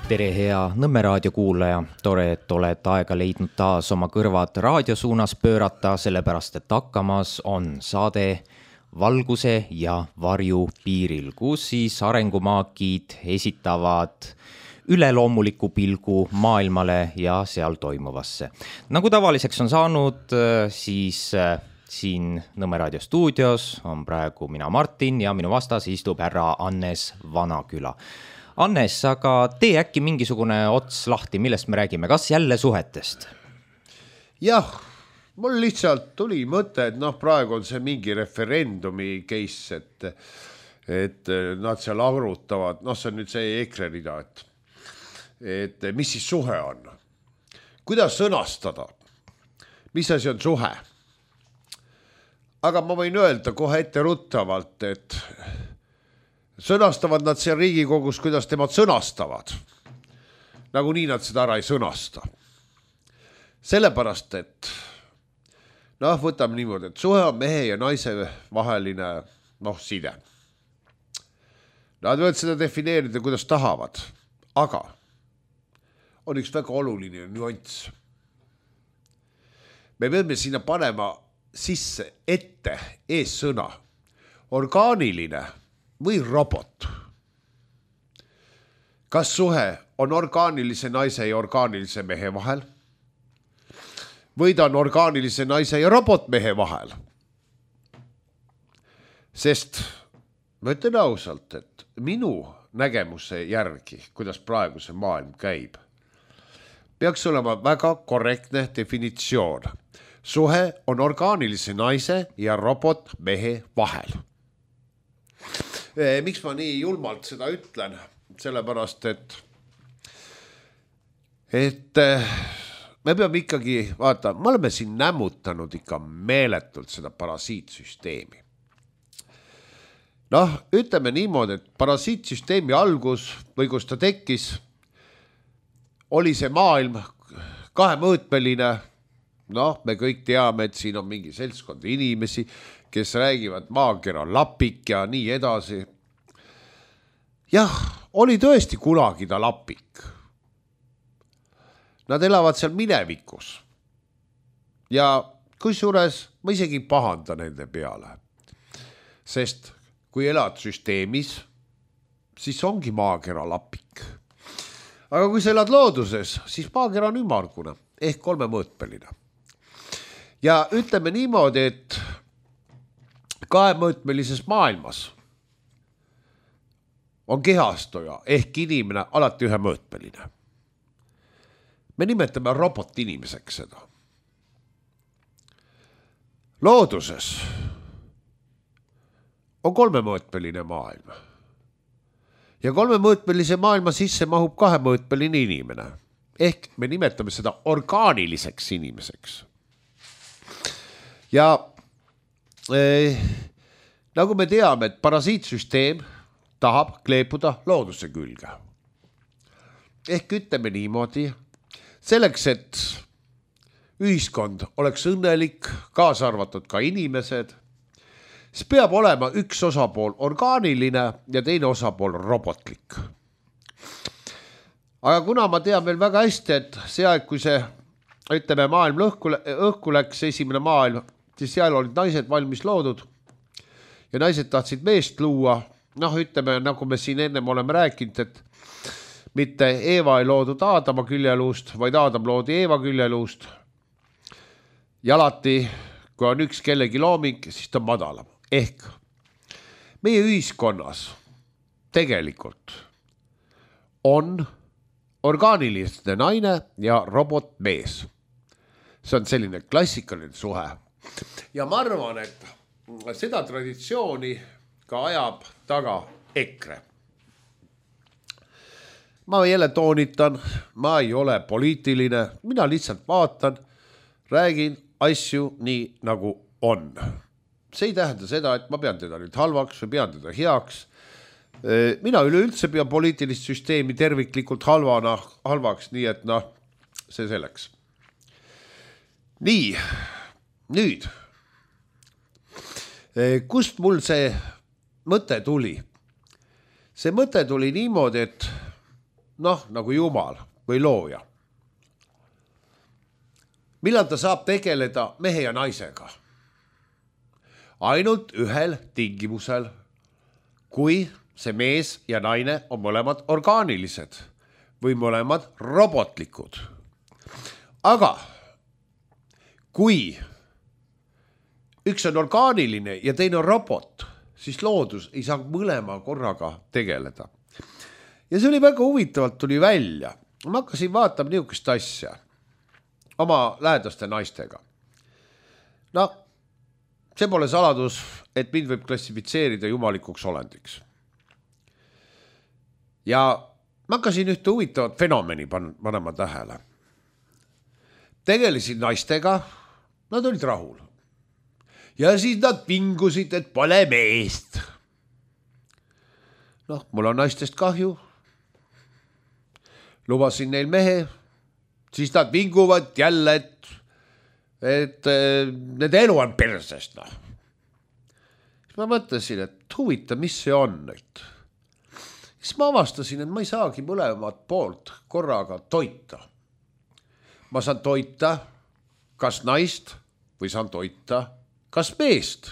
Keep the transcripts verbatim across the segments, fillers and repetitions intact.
Tere hea Nõmme raadio kuulaja, tore, et oled aega leidnud taas oma kõrvad raadio suunas pöörata, sellepärast et hakkamas on saade Valguse ja varju piiril, kus siis arengumaakid esitavad üleloomuliku pilgu maailmale ja seal toimuvasse. Nagu tavaliseks on saanud, siis siin Nõmme raadio stuudios on praegu mina Martin ja minu vastas istub härra Annes Vanaküla. Annes, aga tee äkki mingisugune ots lahti, millest me räägime, kas jälle suhetest? Jah, mul lihtsalt tuli mõte, et noh, praegu on see mingi referendumi case, et, et nad seal arutavad, noh, see on nüüd see EKRE rida, et, et mis siis suhe on? Kuidas sõnastada? Mis asi on suhe? Aga ma võin öelda kohe ette ruttavalt, et sõnastavad nad seal Riigikogus, kuidas temad sõnastavad. Nagu nii nad seda ära ei sõnasta. Sellepärast, et noh, võtame niimoodi, et suhe on mehe ja naise vaheline noh, side. Nad võivad seda defineerida, kuidas tahavad, aga on üks väga oluline nüanss. Me peame sinna panema sisse ette ees sõna orgaaniline või robot. Kas suhe on orgaanilise naise ja orgaanilise mehe vahel? Või ta on orgaanilise naise ja robotmehe vahel? Sest ma ütlen ausalt, et minu nägemuse järgi, kuidas praegu see maailm käib, peaks olema väga korrektne definitsioon. Suhe on orgaanilise naise ja robotmehe vahel. Miks ma nii julmalt seda ütlen? Sellepärast, et, et me peame ikkagi, vaata, me oleme siin nämmutanud ikka meeletult seda parasiitsüsteemi. Noh, ütleme niimoodi, et parasiitsüsteemi algus või kus ta tekkis, oli see maailm kahemõõtmeline. Noh, me kõik teame, et siin on mingi seltskond inimesi, kes räägivad maakera lapik ja nii edasi. Jah, oli tõesti kunagi ta lapik. Nad elavad seal minevikus. Ja kusjuures ma isegi pahanda nende peale. Sest kui elad süsteemis, siis ongi maakera lapik. Aga kui sa elad looduses, siis maakera on ümmargune ehk kolmemõõtmeline. Ja ütleme niimoodi, et kahemõõtmelises maailmas on kehastoja ehk inimene alati ühemõõtmeline. Me nimetame robot inimeseks seda. Looduses on kolmemõõtmeline maailm. Ja kolmemõõtmelise maailma sisse mahub kahemõõtmeline inimene. Ehk me nimetame seda orgaaniliseks inimeseks. Ja eh, nagu me teame, et parasiitsüsteem tahab kleepuda looduse külge. Ehk ütleme niimoodi, selleks, et ühiskond oleks õnnelik, kaasa arvatud ka inimesed, siis peab olema üks osapool orgaaniline ja teine osapool robotlik. Aga kuna ma tean veel väga hästi, et see aeg, kui see, ütleme, maailm õhku, õhku läks, esimene maailm, siis seal olid naised valmis loodud ja naised tahtsid meest luua. Noh, ütleme, nagu me siin ennem oleme rääkinud, et mitte Eeva ei loodud Aadama küljeluust, vaid Aadam loodi Eeva küljeluust. Ja alati, kui on üks kellegi looming, siis ta on madalam. Ehk meie ühiskonnas tegelikult on orgaaniline naine ja robotmees. See on selline klassikaline suhe. Ja ma arvan, et seda traditsiooni ka ajab taga EKRE. Ma jälle toonitan, ma ei ole poliitiline, mina lihtsalt vaatan, räägin asju nii nagu on. See ei tähenda seda, et ma pean teda nüüd halvaks või pean teda heaks. Mina üleüldse pean poliitilist süsteemi terviklikult halvana, halvaks, nii et noh, see selleks. Nii, nüüd, kust mul see mõte tuli? See mõte tuli niimoodi, et noh, nagu jumal või looja. Millal ta saab tegeleda mehe ja naisega? Ainult ühel tingimusel, kui see mees ja naine on mõlemad orgaanilised või mõlemad robotlikud. Aga kui üks on orgaaniline ja teine on robot, siis loodus ei saa mõlema korraga tegeleda. Ja see oli väga huvitavalt tuli välja. Ma hakkasin vaatama niisugust asja oma lähedaste naistega. No, see pole saladus, et mind võib klassifitseerida jumalikuks olendiks. Ja ma hakkasin ühte huvitavat fenomeni panema tähele. Tegelesin naistega, nad olid rahul. Ja siis nad vingusid, et pole meest. Noh, mul on naistest kahju. Lubasin neil mehe, siis nad vinguvad jälle, et, et nende elu on persest. No. Siis ma mõtlesin, et huvita, mis see on nüüd. Siis ma avastasin, et ma ei saagi mõlemat poolt korraga toita. Ma saan toita kas naist või saan toita kas meest.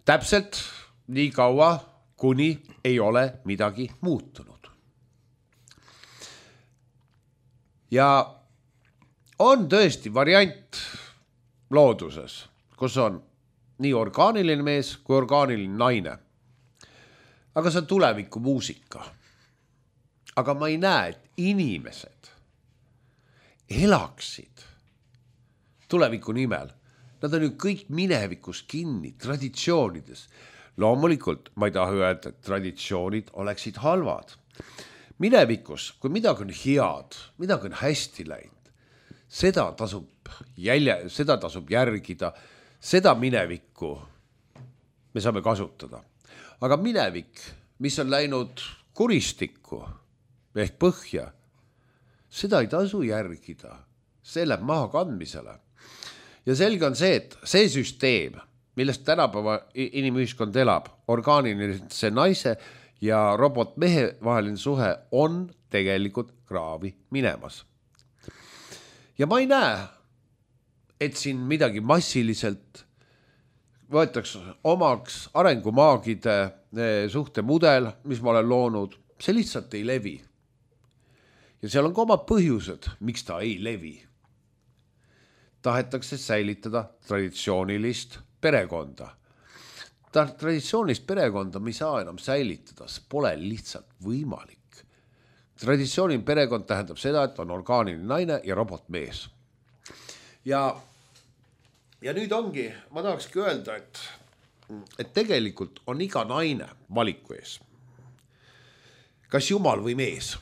Täpselt nii kaua, kuni ei ole midagi muutunud. Ja on tõesti variant looduses, kus on nii orgaaniline mees kui orgaaniline naine. Aga see on tuleviku muusika. Aga ma ei näe, et inimesed elaksid tuleviku nimel. Nad on ju kõik minevikus kinni, traditsioonides. Loomulikult ma ei taha öelda, et traditsioonid oleksid halvad. Minevikus, kui midagi on head, midagi on hästi läinud, seda tasub, jälje, seda tasub järgida, seda minevikku me saame kasutada. Aga minevik, mis on läinud kuristikku ehk põhja, seda ei tasu järgida, see läheb maha kandmisele. Ja selge on see, et see süsteem, millest tänapäeva inimühiskond elab, orgaanilise naise ja robotmehe vaheline suhe on tegelikult kraavi minemas. Ja ma ei näe, et siin midagi massiliselt võetakse omaks arengumaagide suhtemudel, mis ma olen loonud, see lihtsalt ei levi. Ja seal on ka omad põhjused, miks ta ei levi. Tahetakse säilitada traditsioonilist perekonda. Ta traditsioonilist perekonda me ei saa enam säilitada, see pole lihtsalt võimalik. Traditsiooniline perekond tähendab seda, et on orgaaniline naine ja robotmees. Ja, ja nüüd ongi, ma tahakski öelda, et, et tegelikult on iga naine valiku ees. Kas jumal või mees?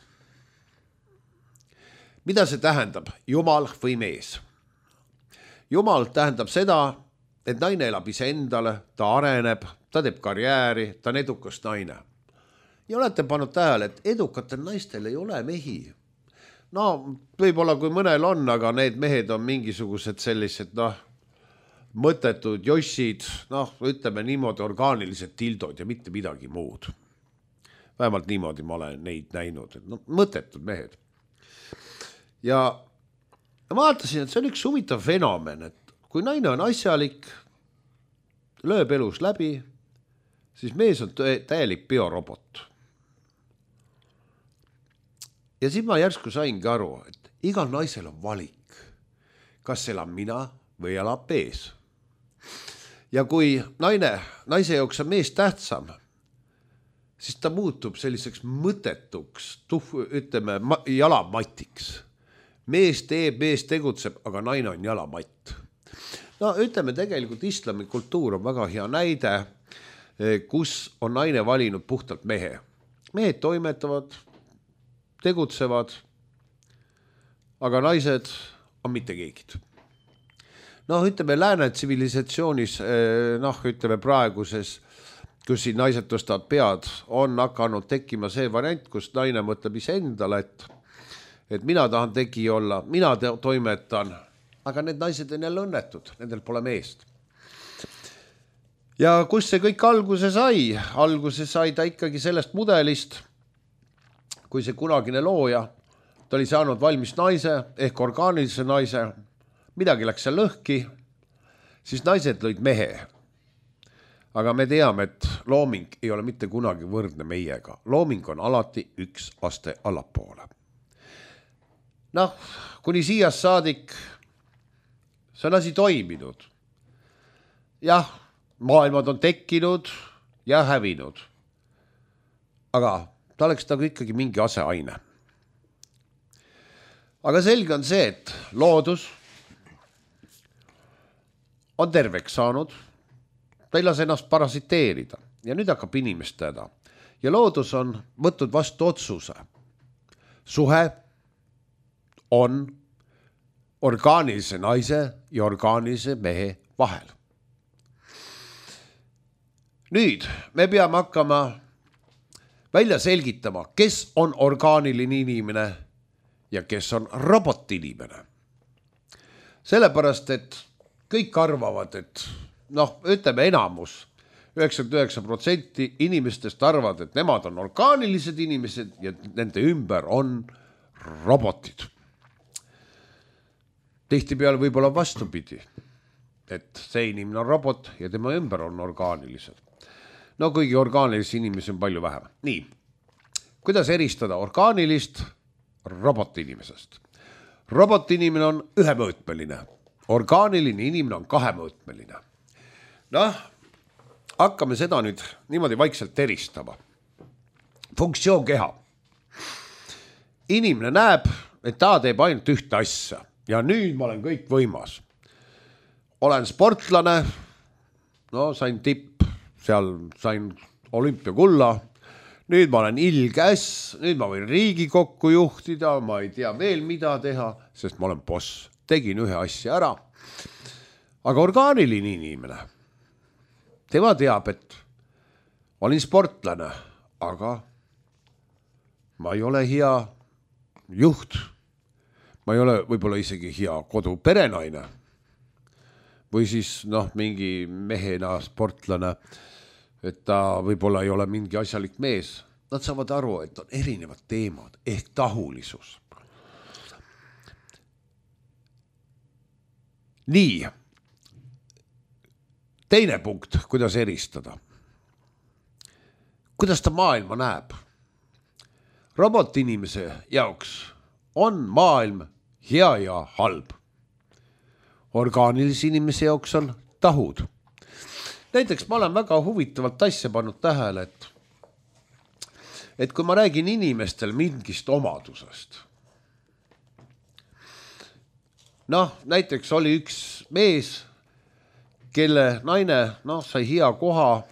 Mida see tähendab, jumal või mees? Jumal tähendab seda, et naine elab ise endale, ta areneb, ta teeb karjääri, ta on edukas naine. Ja olete pannud tähele, et edukatel naistel ei ole mehi. No, võib-olla kui mõnel on, aga need mehed on mingisugused sellised, noh, mõttetud jossid, noh, ütleme niimoodi orgaanilised tildod ja mitte midagi muud. Vähemalt niimoodi ma olen neid näinud, et no, mõttetud mehed. Ja ma vaatasin, et see on üks huvitav fenomen, et kui naine on asjalik, lööb elus läbi, siis mees on täielik biorobot. Ja siis ma järsku saingi aru, et igal naisel on valik, kas elab mina või elab mees. Ja kui naine, naise jaoks on mees tähtsam, siis ta muutub selliseks mõttetuks, tuh, ütleme, jalamatiks. Mees teeb, mees tegutseb, aga naine on jalamatt. No ütleme tegelikult islami kultuur on väga hea näide, kus on naine valinud puhtalt mehe. Mehed toimetavad, tegutsevad, aga naised on mitte keegid. No ütleme lääne tsivilisatsioonis, noh ütleme praeguses, kus siin naised tõstavad pead, on hakanud tekkima see variant, kus naine mõtleb ise endale, et et mina tahan tegi olla, mina toimetan, aga need naised on jälle õnnetud, nendel pole meest. ja kus see kõik alguse sai? Alguse sai ta ikkagi sellest mudelist, kui see kunagine looja, ta oli saanud valmis naise ehk orgaanilise naise, midagi läks seal lõhki, siis naised lõid mehe. Aga me teame, et looming ei ole mitte kunagi võrdne meiega. Looming on alati üks aste allapoole. Noh, kuni siiast saadik see on asi toiminud. Jah, maailmad on tekkinud ja hävinud. Aga ta oleks nagu ikkagi mingi aseaine. Aga selge on see, et loodus on terveks saanud, ta ei lase ennast parasiteerida ja nüüd hakkab inimestada. Ja loodus on võtnud vastu otsuse. Suhe on orgaanilise naise ja orgaanilise mehe vahel. Nüüd me peame hakkama välja selgitama, kes on orgaaniline inimene ja kes on robotinimene. Sellepärast, et kõik arvavad, et noh, ütleme enamus, üheksakümmend üheksa protsenti inimestest arvavad, et nemad on orgaanilised inimesed ja nende ümber on robotid. Tihtipeale võib-olla vastupidi, et see inimene on robot ja tema ümber on orgaanilised. No kuigi orgaanilisi inimesi on palju vähem. Nii, kuidas eristada orgaanilist robotinimesest? Robotinimene on ühemõõtmeline, orgaaniline inimene on kahemõõtmeline. Noh, hakkame seda nüüd niimoodi vaikselt eristama. Funktsioon keha. Inimene näeb, et ta teeb ainult ühte asja ja nüüd ma olen kõik võimas. Olen sportlane, no sain tipp, seal sain olümpiakulla, nüüd ma olen ilgäss, nüüd ma võin Riigikokku juhtida, ma ei tea veel mida teha, sest ma olen boss. Tegin ühe asja ära. Aga orgaaniline inimene, tema teab, et olin sportlane, aga ma ei ole hea juht. Ma ei ole võib-olla isegi hea kodu perenaine. Või siis noh, mingi mehena sportlane, et ta võib-olla ei ole mingi asjalik mees. Nad saavad aru, et on erinevad teemad ehk tahulisus. Nii. Teine punkt, kuidas eristada. Kuidas ta maailma näeb? Robotinimese jaoks on maailm hea ja halb. Orgaanilise inimese jaoks on tahud. Näiteks ma olen väga huvitavalt asja pannud tähele, et, et kui ma räägin inimestel mingist omadusest. Noh, näiteks oli üks mees, kelle naine noh, sai hea koha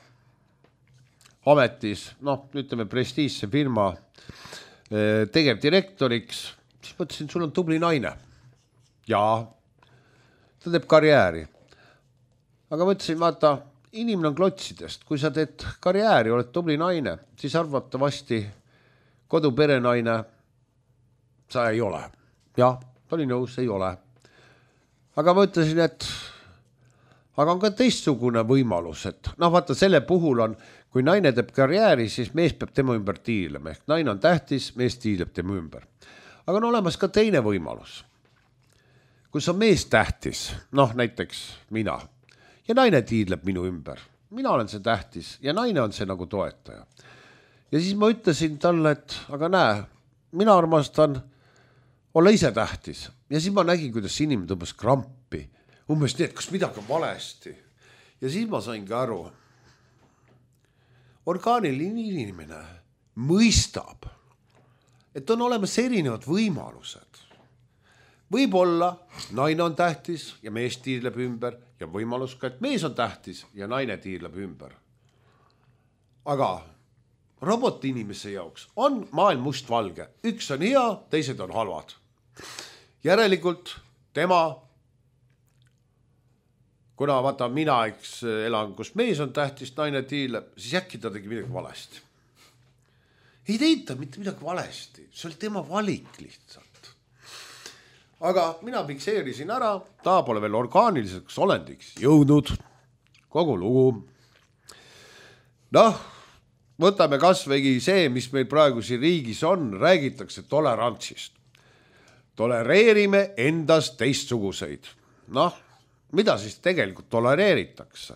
ametis, noh, ütleme prestiižse firma tegevdirektoriks, siis mõtlesin, sul on tubli naine. Jaa, ta teeb karjääri. Aga mõtlesin, vaata, inimene on klotsidest. Kui sa teed karjääri, oled tubli naine, siis arvatavasti koduperenaine sa ei ole. Jah, ta oli nõus, ei ole. Aga ma ütlesin, et aga on ka teistsugune võimalus, et noh, vaata, selle puhul on, kui naine teeb karjääri, siis mees peab tema ümber tiilema. Ehk naine on tähtis, mees tiileb tema ümber. Aga on olemas ka teine võimalus. Kus on mees tähtis, noh näiteks mina, ja naine tiidleb minu ümber. Mina olen see tähtis ja naine on see nagu toetaja. Ja siis ma ütlesin talle, et aga näe, mina armastan olla ise tähtis. Ja siis ma nägin, kuidas inimene tõmbas krampi. Umbes nii, et kas midagi on valesti. Ja siis ma sain ka aru. Orgaaniline inimene mõistab, et on olemas erinevad võimalused. Võib-olla naine on tähtis ja mees tiirleb ümber ja võimalus ka, et mees on tähtis ja naine tiirleb ümber. Aga roboti inimese jaoks on maailm mustvalge. Üks on hea, teised on halvad. Järelikult tema, kuna vaata mina eks elan, kus mees on tähtis, naine tiirleb, siis äkki ta tegi midagi valesti. Ei teita mitte midagi valesti, see oli tema valik lihtsalt. Aga mina fikseerisin ära, ta pole veel orgaaniliseks olendiks jõudnud, kogu lugu. noh, võtame kasvõi see, mis meil praegu siin riigis on, räägitakse tolerantsist. Tolereerime endast teistsuguseid. Noh, mida siis tegelikult tolereeritakse?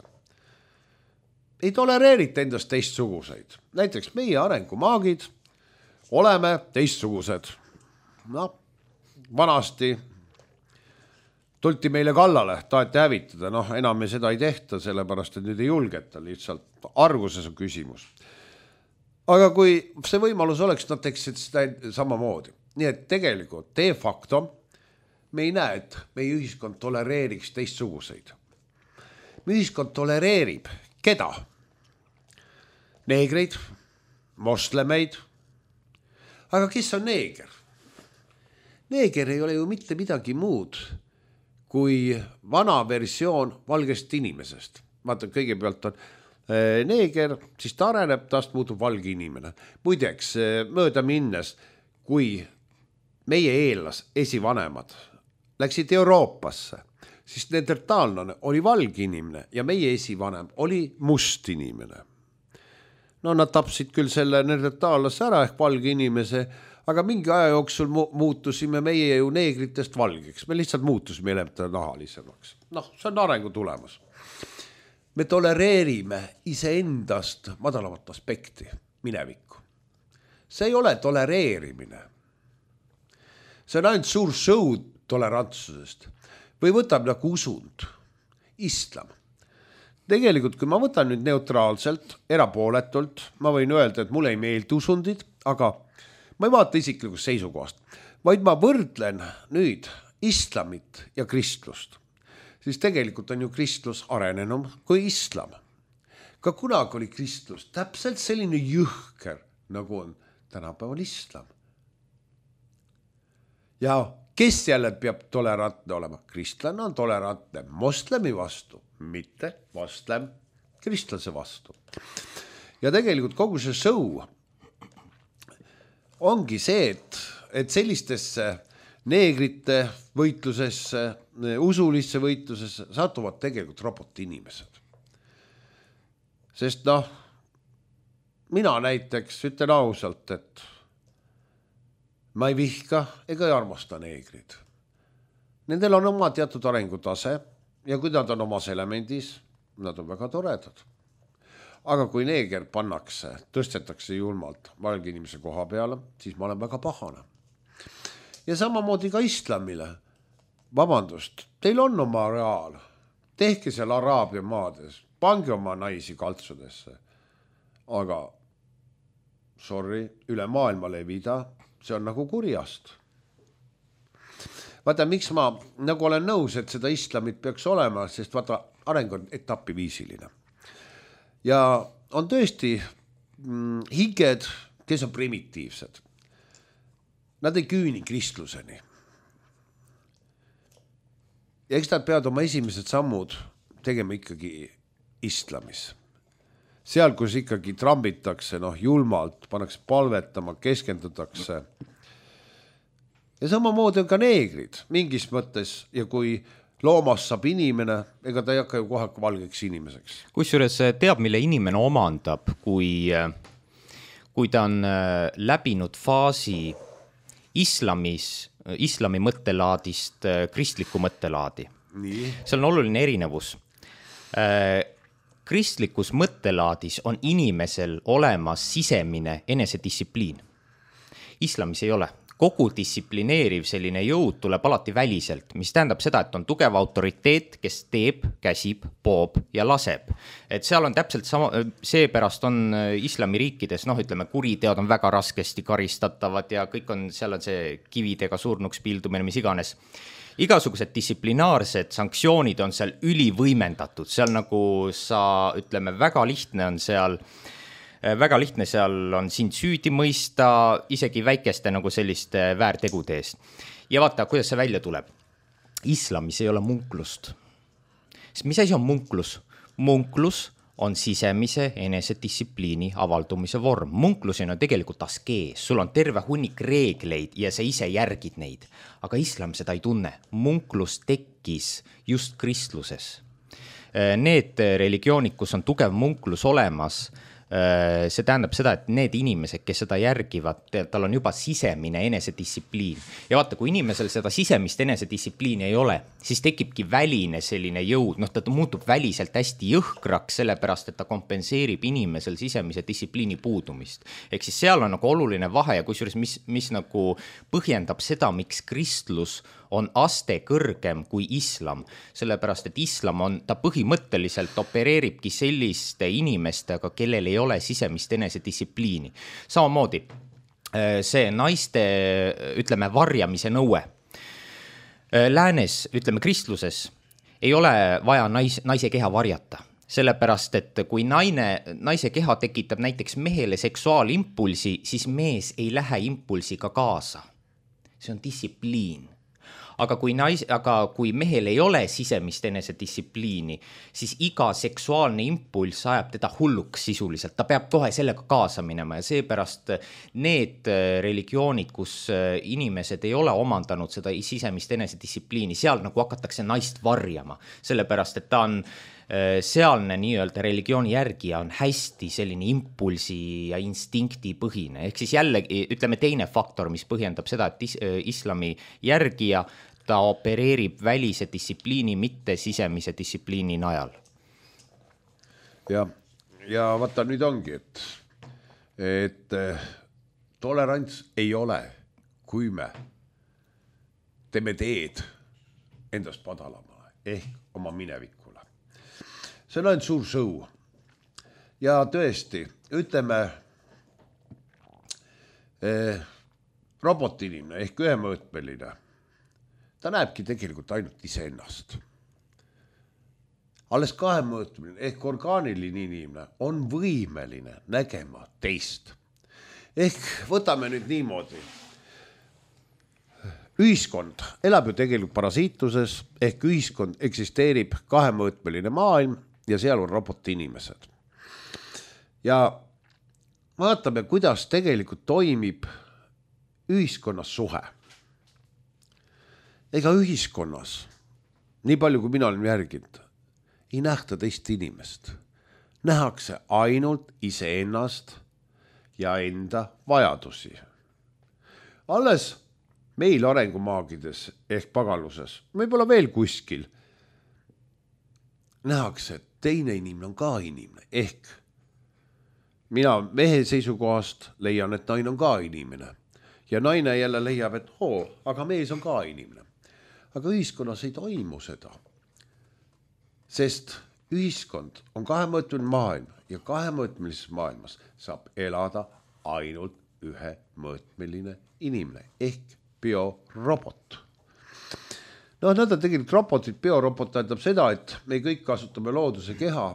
Ei tolereerita endast teistsuguseid. Näiteks meie arengumaagid oleme teistsugused. Noh, vanasti tulti meile kallale, taheti hävitada, noh, enam me seda ei tehta, sellepärast, et nüüd ei julgeta, lihtsalt arguses on küsimus. Aga kui see võimalus oleks, nad teksid seda samamoodi. Nii et tegelikult de facto me ei näe, et meie ühiskond tolereeriks teistsuguseid. Meie ühiskond tolereerib keda? Neegreid, moslemeid. Aga kes on neeger? Neeger ei ole ju mitte midagi muud kui vana versioon valgest inimesest. Vaata, kõigepealt on neeger, siis ta areneb, tast muutub valge inimene. Muideks, mööda minnes, kui meie eellas esivanemad läksid Euroopasse, siis neandertaalane oli valge inimene ja meie esivanem oli must inimene. No nad tapsid küll selle neandertaallase ära ehk valge inimese, aga mingi aja jooksul mu- muutusime meie ju neegritest valgeks. Me lihtsalt muutusime elementaalnahalisemaks. Noh, see on arengu tulemus. Me tolereerime iseendast madalamat aspekti, minevikku. See ei ole tolereerimine. See on ainult suur show tolerantsusest. Või võtab nagu usund, islam. Tegelikult, kui ma võtan nüüd neutraalselt, erapooletult, ma võin öelda, et mulle ei meeldi usundid, aga ma ei vaata isiklikust seisukohast, vaid ma võrdlen nüüd islamit ja kristlust. Siis tegelikult on ju kristlus arenenum kui islam. Ka kunagi oli kristlus täpselt selline jõhker, nagu on tänapäeval islam. Ja kes jälle peab tolerantne olema? Kristlane on tolerantne moslemi vastu, mitte moslem kristlase vastu. Ja tegelikult kogu see show ongi see, et, et sellistesse neegrite võitlusesse, usulisse võitlusesse satuvad tegelikult roboti inimesed. Sest noh, mina näiteks ütlen ausalt, et ma ei vihka ega ei armasta neegrid. Nendel on oma teatud arengutase ja kui nad on omas elemendis, nad on väga toredad. Aga kui neeger pannakse, tõstetakse julmalt valge inimese koha peale, siis ma olen väga pahane. Ja samamoodi ka islamile. Vabandust, teil on oma reaal. Tehke seal Araabia maades, pange oma naisi kaltsudesse. Aga, sorry, üle maailma levida, see on nagu kurjast. Vaata, miks ma nagu olen nõus, et seda islamit peaks olema, sest vaata, areng on etapiviisiline. Ja on tõesti mm, hinged, kes on primitiivsed. Nad ei küüni kristluseni. Ja eks nad peavad oma esimesed sammud tegema ikkagi islamis. Seal, kus ikkagi trambitakse, noh, julmalt, pannakse palvetama, keskendutakse. Ja samamoodi on ka neegrid mingis mõttes ja kui loomas saab inimene, ega ta ei hakka ju kohe valgeks inimeseks. Kusjuures teab, mille inimene omandab, kui, kui ta on läbinud faasi islamis, islami mõttelaadist kristliku mõttelaadi. Nii. See on oluline erinevus. Kristlikus mõttelaadis on inimesel olemas sisemine enesedistsipliin. Islamis ei ole. Kogu distsiplineeriv selline jõud tuleb alati väliselt, mis tähendab seda, et on tugev autoriteet, kes teeb, käsib, poob ja laseb. Et seal on täpselt sama, seepärast on islamiriikides, noh, ütleme, kuriteod on väga raskesti karistatavad ja kõik on, seal on see kividega surnuks pildumine, mis iganes. Igasugused distsiplinaarsed sanktsioonid on seal ülivõimendatud, seal nagu sa, ütleme, väga lihtne on seal, väga lihtne seal on sind süüdi mõista, isegi väikeste nagu selliste väärtegude eest. Ja vaata, kuidas see välja tuleb. Islamis ei ole munklust. Mis asi on munklus? Munklus on sisemise enesedistsipliini avaldumise vorm. Munklusena on tegelikult askees, sul on terve hunnik reegleid ja sa ise järgid neid. Aga islam seda ei tunne. Munklus tekkis just kristluses. Need religioonid, kus on tugev munklus olemas, see tähendab seda, et need inimesed, kes seda järgivad, tal on juba sisemine enesedistsipliin. Ja vaata, kui inimesel seda sisemist enesedistsipliini ei ole, siis tekibki väline selline jõud, noh, ta muutub väliselt hästi jõhkraks, sellepärast, et ta kompenseerib inimesel sisemise distsipliini puudumist. Ehk siis seal on nagu oluline vahe ja kusjuures, mis, mis nagu põhjendab seda, miks kristlus on aste kõrgem kui islam, sellepärast, et islam on, ta põhimõtteliselt opereeribki selliste inimestega, kellel ei ole sisemist enesedistsipliini. Samamoodi see naiste, ütleme, varjamise nõue. Läänes, ütleme, kristluses ei ole vaja nais, naise keha varjata, sellepärast, et kui naine, naise keha tekitab näiteks mehele seksuaalimpulsi, siis mees ei lähe impulsiga kaasa. See on distsipliin. Aga kui, nais, aga kui mehel ei ole sisemist enesedistsipliini, siis iga seksuaalne impulss ajab teda hulluks sisuliselt. Ta peab kohe sellega kaasa minema ja seepärast need religioonid, kus inimesed ei ole omandanud seda sisemist enesedistsipliini, seal nagu hakatakse naist varjama, sellepärast, et ta on sealne nii-öelda religiooni järgija on hästi selline impulsi ja instinkti põhine. Ehk siis jällegi, ütleme, teine faktor, mis põhjendab seda, et is, islami järgija, ta opereerib välise distsipliini, mitte sisemise distsipliini najal. Ja, ja vaata nüüd ongi, et, et tolerants ei ole, kui me teeme teed endast padalamale ehk oma minevikule. See on ainult suur sõu. Ja tõesti, ütleme, eh, robotinimene ehk ühemõõtmeline, ta näebki tegelikult ainult iseennast. Alles kahemõõtmeline ehk orgaaniline inimene on võimeline nägema teist. Ehk võtame nüüd niimoodi. Ühiskond elab ju tegelikult parasiituses ehk ühiskond eksisteerib kahemõõtmeline maailm ja seal on roboti inimesed. Ja vaatame, kuidas tegelikult toimib ühiskonnas suhe. Ega ühiskonnas, nii palju kui mina olen järginud, ei nähta teist inimest. Nähakse ainult iseennast ja enda vajadusi. Alles meil arengumaagides ehk pagaluses, võib-olla veel kuskil, nähakse, et teine inimene on ka inimene. Ehk mina mehe seisukohast leian, et naine on ka inimene. Ja naine jälle leiab, et oo, aga mees on ka inimene. Aga ühiskonnas ei toimu seda. Sest ühiskond on kahemõõtmeline maailm ja kahemõõtmelises maailmas saab elada ainult ühemõõtmeline inimene ehk biorobot. No nõnda tegelikult robotit, biorobot tähendab seda, et me kõik kasutame looduse keha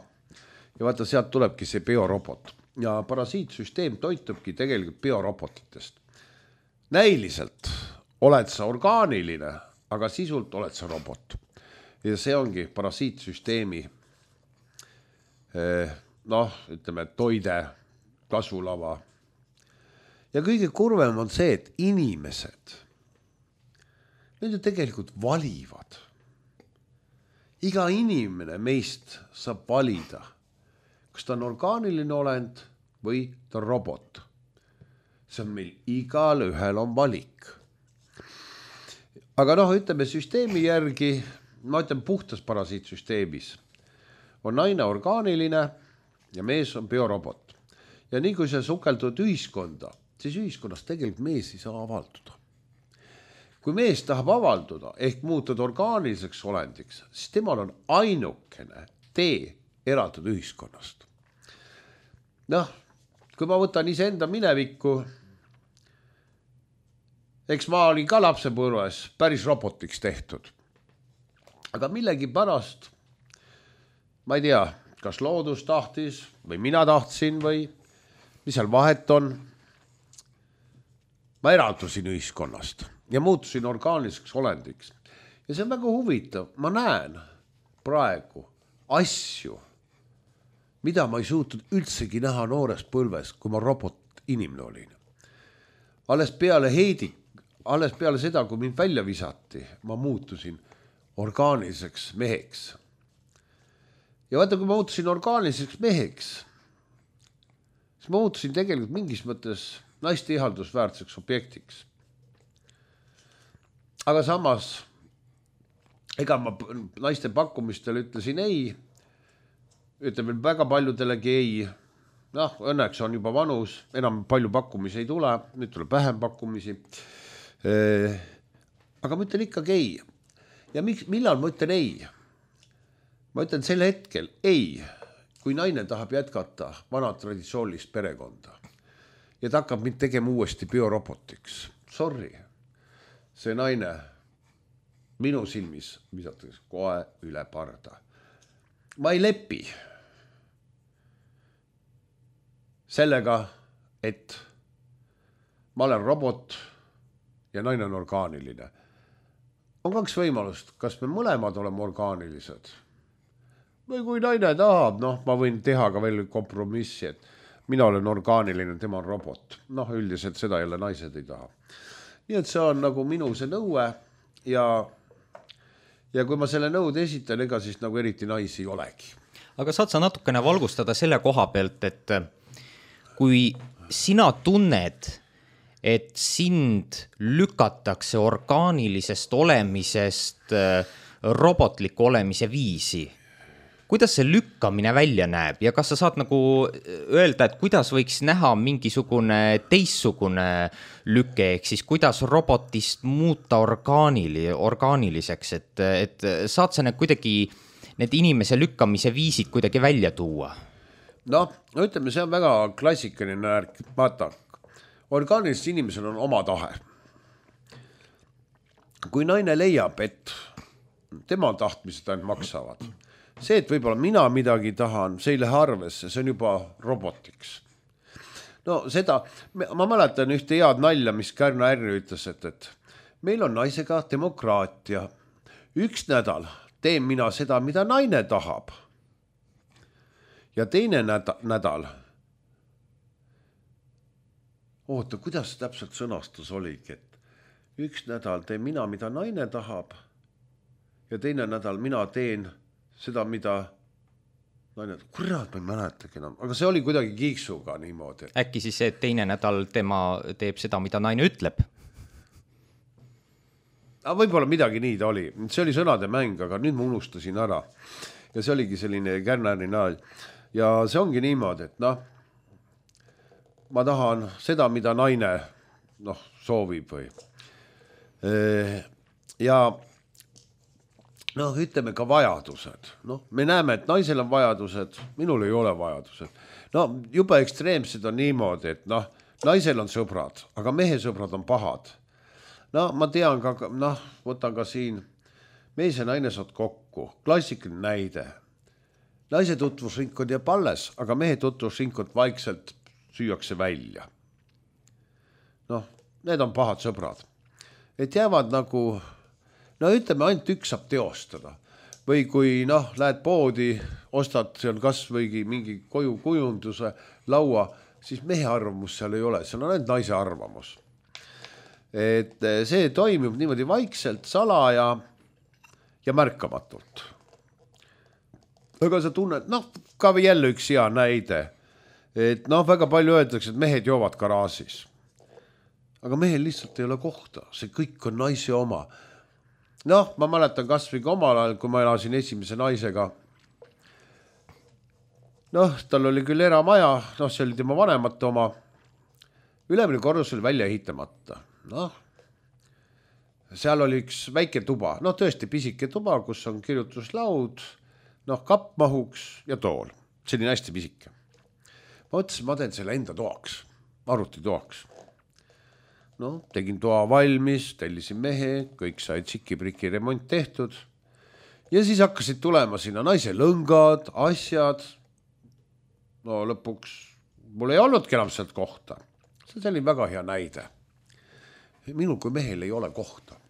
ja vaata, sealt tulebki see biorobot. Ja parasiitsüsteem toitubki tegelikult biorobotitest. Näiliselt oled sa orgaaniline, aga sisult oled sa robot. Ja see ongi parasiitsüsteemi noh, ütleme, toide, kasvulava. Ja kõige kurvem on see, et inimesed need ju tegelikult valivad. Iga inimene meist saab valida, kas ta on orgaaniline olend või ta on robot. See on meil igal ühel on valik. Aga noh, ütleme süsteemi järgi, ma ütlen puhtas parasiitsüsteemis, on naine orgaaniline ja mees on biorobot. Ja nii kui see sukeldud ühiskonda, siis ühiskonnas tegelikult mees ei saa avalduda. Kui mees tahab avalduda ehk muutuda orgaaniliseks olendiks, siis temal on ainukene tee eratud ühiskonnast. Noh, kui ma võtan iseenda minevikku, eks ma olin ka lapsepõlves päris robotiks tehtud. Aga millegi pärast, ma ei tea, kas loodus tahtis või mina tahtsin või mis seal vahet on, ma eraldusin ühiskonnast ja muutusin orgaaniliseks olendiks. Ja see on väga huvitav. Ma näen praegu asju, mida ma ei suutnud üldsegi näha noores põlves, kui ma robot inimene olin. Alles peale heidik, alles peale seda, kui mind välja visati, ma muutusin orgaaniliseks meheks. Ja vaata, kui ma muutusin orgaaniliseks meheks, siis ma muutusin tegelikult mingis mõttes naiste ihaldusväärseks objektiks. Aga samas, ega ma naiste pakkumistel ütlesin ei, ütleme väga paljudelegi ei. Noh, õnneks on juba vanus, enam palju pakkumisi ei tule, nüüd tuleb vähem pakkumisi. Aga ma ütlen ikkagi ei. Ja miks, millal ma ütlen ei? Ma ütlen sel hetkel ei, kui naine tahab jätkata vana traditsioonilist perekonda ja ta hakkab mind tegema uuesti biorobotiks. Sorry, see naine minu silmis visatakse kohe üle parda. Ma ei lepi sellega, et ma olen robot ja naine on orgaaniline. On kaks võimalust, kas me mõlemad oleme orgaanilised või kui naine tahab, noh, ma võin teha ka veel kompromissi, et mina olen orgaaniline, tema on robot. Noh, üldiselt seda jälle naised ei taha. Nii et see on nagu minu see nõue ja, ja kui ma selle nõude esitan, ega siis nagu eriti naisi ei olegi. Aga saad sa natukene valgustada selle koha pealt, et kui sina tunned, et sind lükatakse orgaanilisest olemisest robotliku olemise viisi, kuidas see lükkamine välja näeb ja kas sa saad nagu öelda, et kuidas võiks näha mingisugune teissugune lüke, ehk siis kuidas robotist muuta orgaanili, orgaaniliseks, et, et saad sa need kuidagi, need inimese lükkamise viisid kuidagi välja tuua? Noh, ütleme, see on väga klassikaline närk. Vaata, orgaanilised inimesel on oma tahe. Kui naine leiab, et tema tahtmised ainult maksavad, see, et võib-olla mina midagi tahan, see ei lähe arvesse, see on juba robotiks. No seda, ma mäletan ühte head nalja, mis Kärna Ärri ütles, et, et meil on naisega demokraatia. Üks nädal teen mina seda, mida naine tahab. Ja teine nädal, oota, kuidas täpselt sõnastus oligi, et üks nädal teen mina, mida naine tahab ja teine nädal mina teen seda, mida naine, kurat, ma ei mäletagi enam, aga see oli kuidagi kiiksuga niimoodi. Äkki siis see, et teine nädal tema teeb seda, mida naine ütleb? Aga võib-olla midagi nii ta oli. See oli sõnade mäng, aga nüüd ma unustasin ära. Ja see oligi selline Kärnäri naal. Ja see ongi niimoodi, et noh, ma tahan seda, mida naine noh, soovib või. Ja noh, ütleme ka vajadused. No, me näeme, et naisel on vajadused, minul ei ole vajadused. No, juba ekstreemsed on niimoodi, et noh, naisel on sõbrad, aga mehe sõbrad on pahad. No, ma tean ka, noh, võtan ka siin, mees ja naine saad kokku, klassikaline näide. Naise tutvusringkond jääb alles, aga mehe tutvusringkond vaikselt süüakse välja. Noh, need on pahad sõbrad. Et jäävad nagu... No ütleme, ainult üks saab teostada. Või kui noh, lähed poodi, ostad seal kas võigi mingi koju kujunduse laua, siis mehe arvamus seal ei ole, seal on ainult naise arvamus. Et see toimib niimoodi vaikselt, salaja ja märkamatult. Aga sa tunned, noh, ka jälle üks hea näide, et noh, väga palju öeldakse, et mehed joovad garaažis. Aga mehel lihtsalt ei ole kohta, see kõik on naise oma. Noh, ma mäletan kas või omal ajal, kui ma elasin esimese naisega. Noh, tal oli küll eramaja, noh, see oli tema vanemate oma. Ülemine korrus oli välja ehitamata. Noh, seal oli üks väike tuba, noh, tõesti pisike tuba, kus on kirjutuslaud, noh, kapp mahuks ja tool. See oli hästi pisike. Ma mõtlesin, ma teen selle enda toaks, arvuti toaks. No, tegin toa valmis, tellisin mehe, kõik sai tšiki-priki remont tehtud. Ja siis hakkasid tulema sinna naise lõngad, asjad. No lõpuks mul ei olnudki enam sealt kohta. See oli väga hea näide. Minul kui mehel ei ole kohta.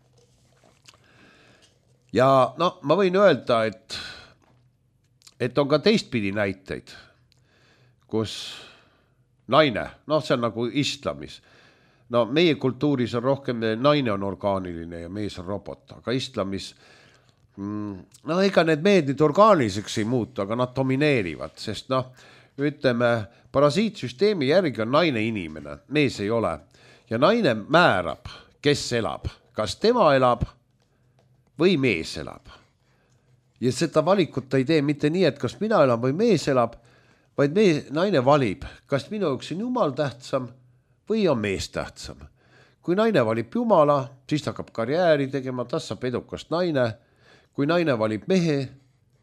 Ja no, ma võin öelda, et, et on ka teistpidi näiteid, kus naine, noh, see on nagu islamis. No meie kultuuris on rohkem, naine on orgaaniline ja mees on robot, aga islamis, no ega need mehed nüüd orgaaniliseks ei muutu, aga nad domineerivad, sest noh, ütleme, parasiitsüsteemi järgi on naine inimene, mees ei ole. Ja naine määrab, kes elab, kas tema elab või mees elab. Ja seda valikut ei tee mitte nii, et kas mina elan või mees elab, vaid mees, naine valib, kas minu jaoks on jumal tähtsam või on mees tähtsam. Kui naine valib jumala, siis ta hakkab karjääri tegema, tast saab edukast naine. Kui naine valib mehe,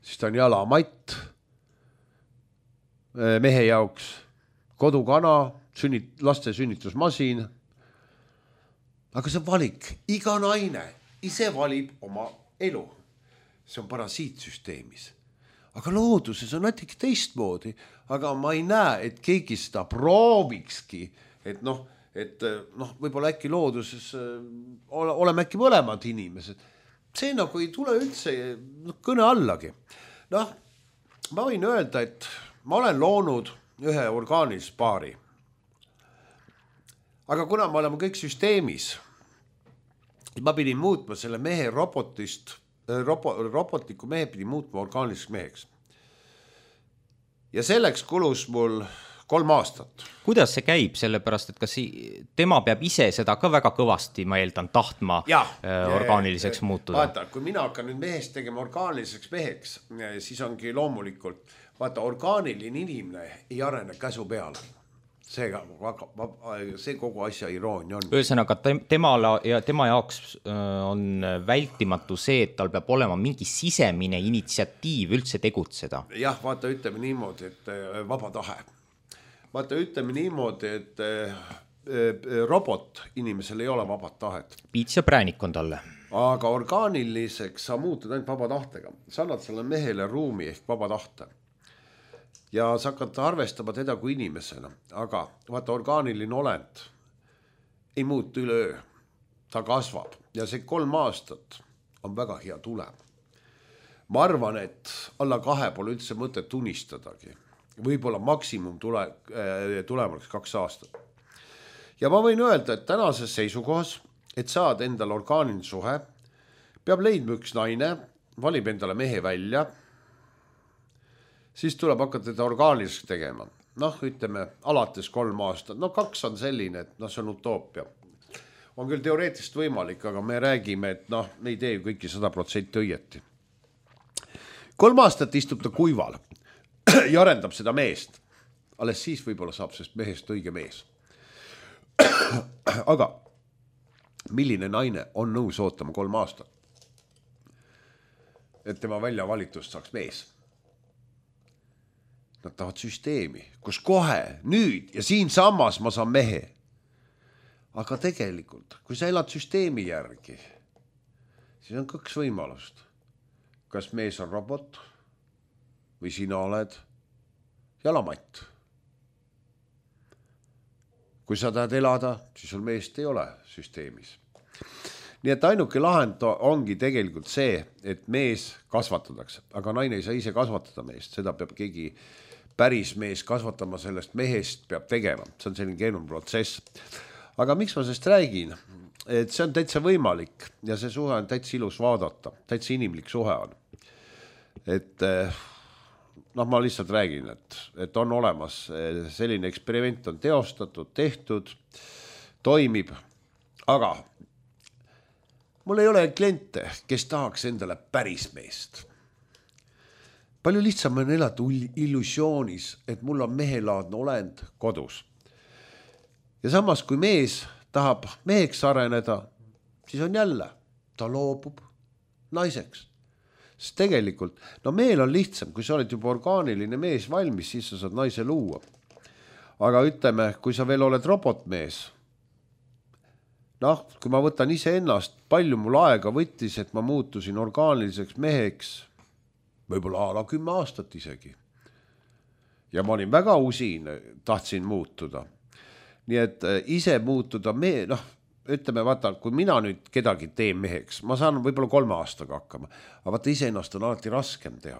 siis ta on jalamatt mehe jaoks, kodukana, sünnit, laste sünnitusmasin. Aga see on valik. Iga naine ise valib oma elu. See on parasiitsüsteemis. Aga looduses on natuke teistmoodi. Aga ma ei näe, et keegi seda proovikski, et noh, et noh, võib-olla äkki looduses oleme äkki mõlemad inimesed. See nagu ei tule üldse kõne allagi. Noh, ma võin öelda, et ma olen loonud ühe orgaanilise paari. Aga kuna me oleme kõik süsteemis, ma pidin muutma selle mehe robotist, robo, robotliku mehe pidin muutma orgaaniliseks meheks. Ja selleks kulus mul kolm aastat. Kuidas see käib, sellepärast, et kas tema peab ise seda ka väga kõvasti, ma eeldan, tahtma ja, orgaaniliseks ja, muutuda? Vaata, kui mina hakkan nüüd mehest tegema orgaaniliseks meheks, siis ongi loomulikult, vaata, orgaaniline inimene ei arene käsu peale. See, see kogu asja iroonia on. Ühesõnaga, temala ja tema jaoks on vältimatu see, et tal peab olema mingi sisemine initsiatiiv üldse tegutseda. Jah, vaata, ütleme niimoodi, et vaba tahe. Vaata, ütleme niimoodi, et robot inimesel ei ole vaba tahet. Piits ja präänik on talle. Aga orgaaniliseks sa muutud ainult vaba tahtega. Sa annad selle mehele ruumi ehk vaba tahte. Ja sa hakkad arvestama teda kui inimesena. Aga vaata, orgaaniline olend ei muutu üleöö. Ta kasvab. Ja see kolm aastat on väga hea tulem. Ma arvan, et alla kahe pole üldse mõtet unistadagi. Võib-olla maksimum tule, tulemaks kaks aastat. Ja ma võin öelda, et tänases seisukohas, et saad endal orgaaniline suhe, peab leidma üks naine, valib endale mehe välja, siis tuleb hakata teda orgaaniliseks tegema. Noh, ütleme, alates kolm aastat. No kaks on selline, et noh, see on utoopia. On küll teoreetiliselt võimalik, aga me räägime, et noh, me ei tee ju kõiki sada protsenti õieti. Kolm aastat istub ta kuival ja arendab seda meest. Alles siis võib-olla saab sest mehest õige mees. Aga milline naine on nõus ootama kolm aastat? Et tema välja valitust saaks mees. Nad tahavad süsteemi, kus kohe, nüüd ja siin sammas ma saan mehe. Aga tegelikult, kui sa elad süsteemi järgi, siis on kaks võimalust. Kas mees on robot või sina oled jalamatt. Kui sa tahad elada, siis sul meest ei ole süsteemis. Nii et ainuke lahend ongi tegelikult see, et mees kasvatatakse, aga naine ei saa ise kasvatada meest, seda peab keegi päris mees kasvatama, sellest mehest peab tegema, see on selline keeruline protsess. Aga miks ma sellest räägin? Et see on täitsa võimalik ja see suhe on täitsa ilus vaadata, täitsa inimlik suhe on. Et noh, ma lihtsalt räägin, et, et on olemas selline eksperiment on teostatud, tehtud, toimib, aga mul ei ole kliente, kes tahaks endale päris meest. Palju lihtsam on elada illusioonis, et mul on mehelaadne olend kodus. Ja samas, kui mees tahab meheks areneda, siis on jälle, ta loobub naiseks. Sest tegelikult, no mehel on lihtsam, kui sa oled juba orgaaniline mees valmis, siis sa saad naise luua. Aga ütleme, kui sa veel oled robotmees, noh, kui ma võtan ise ennast, palju mul aega võttis, et ma muutusin orgaaniliseks meheks, võib-olla ala kümme aastat isegi. Ja ma olin väga usin, tahtsin muutuda. Nii et ise muutuda, me, noh, ütleme, vaata, kui mina nüüd kedagi teen meheks, ma saan võib-olla kolme aastaga hakkama, aga vaata ise ennast on alati raskem teha.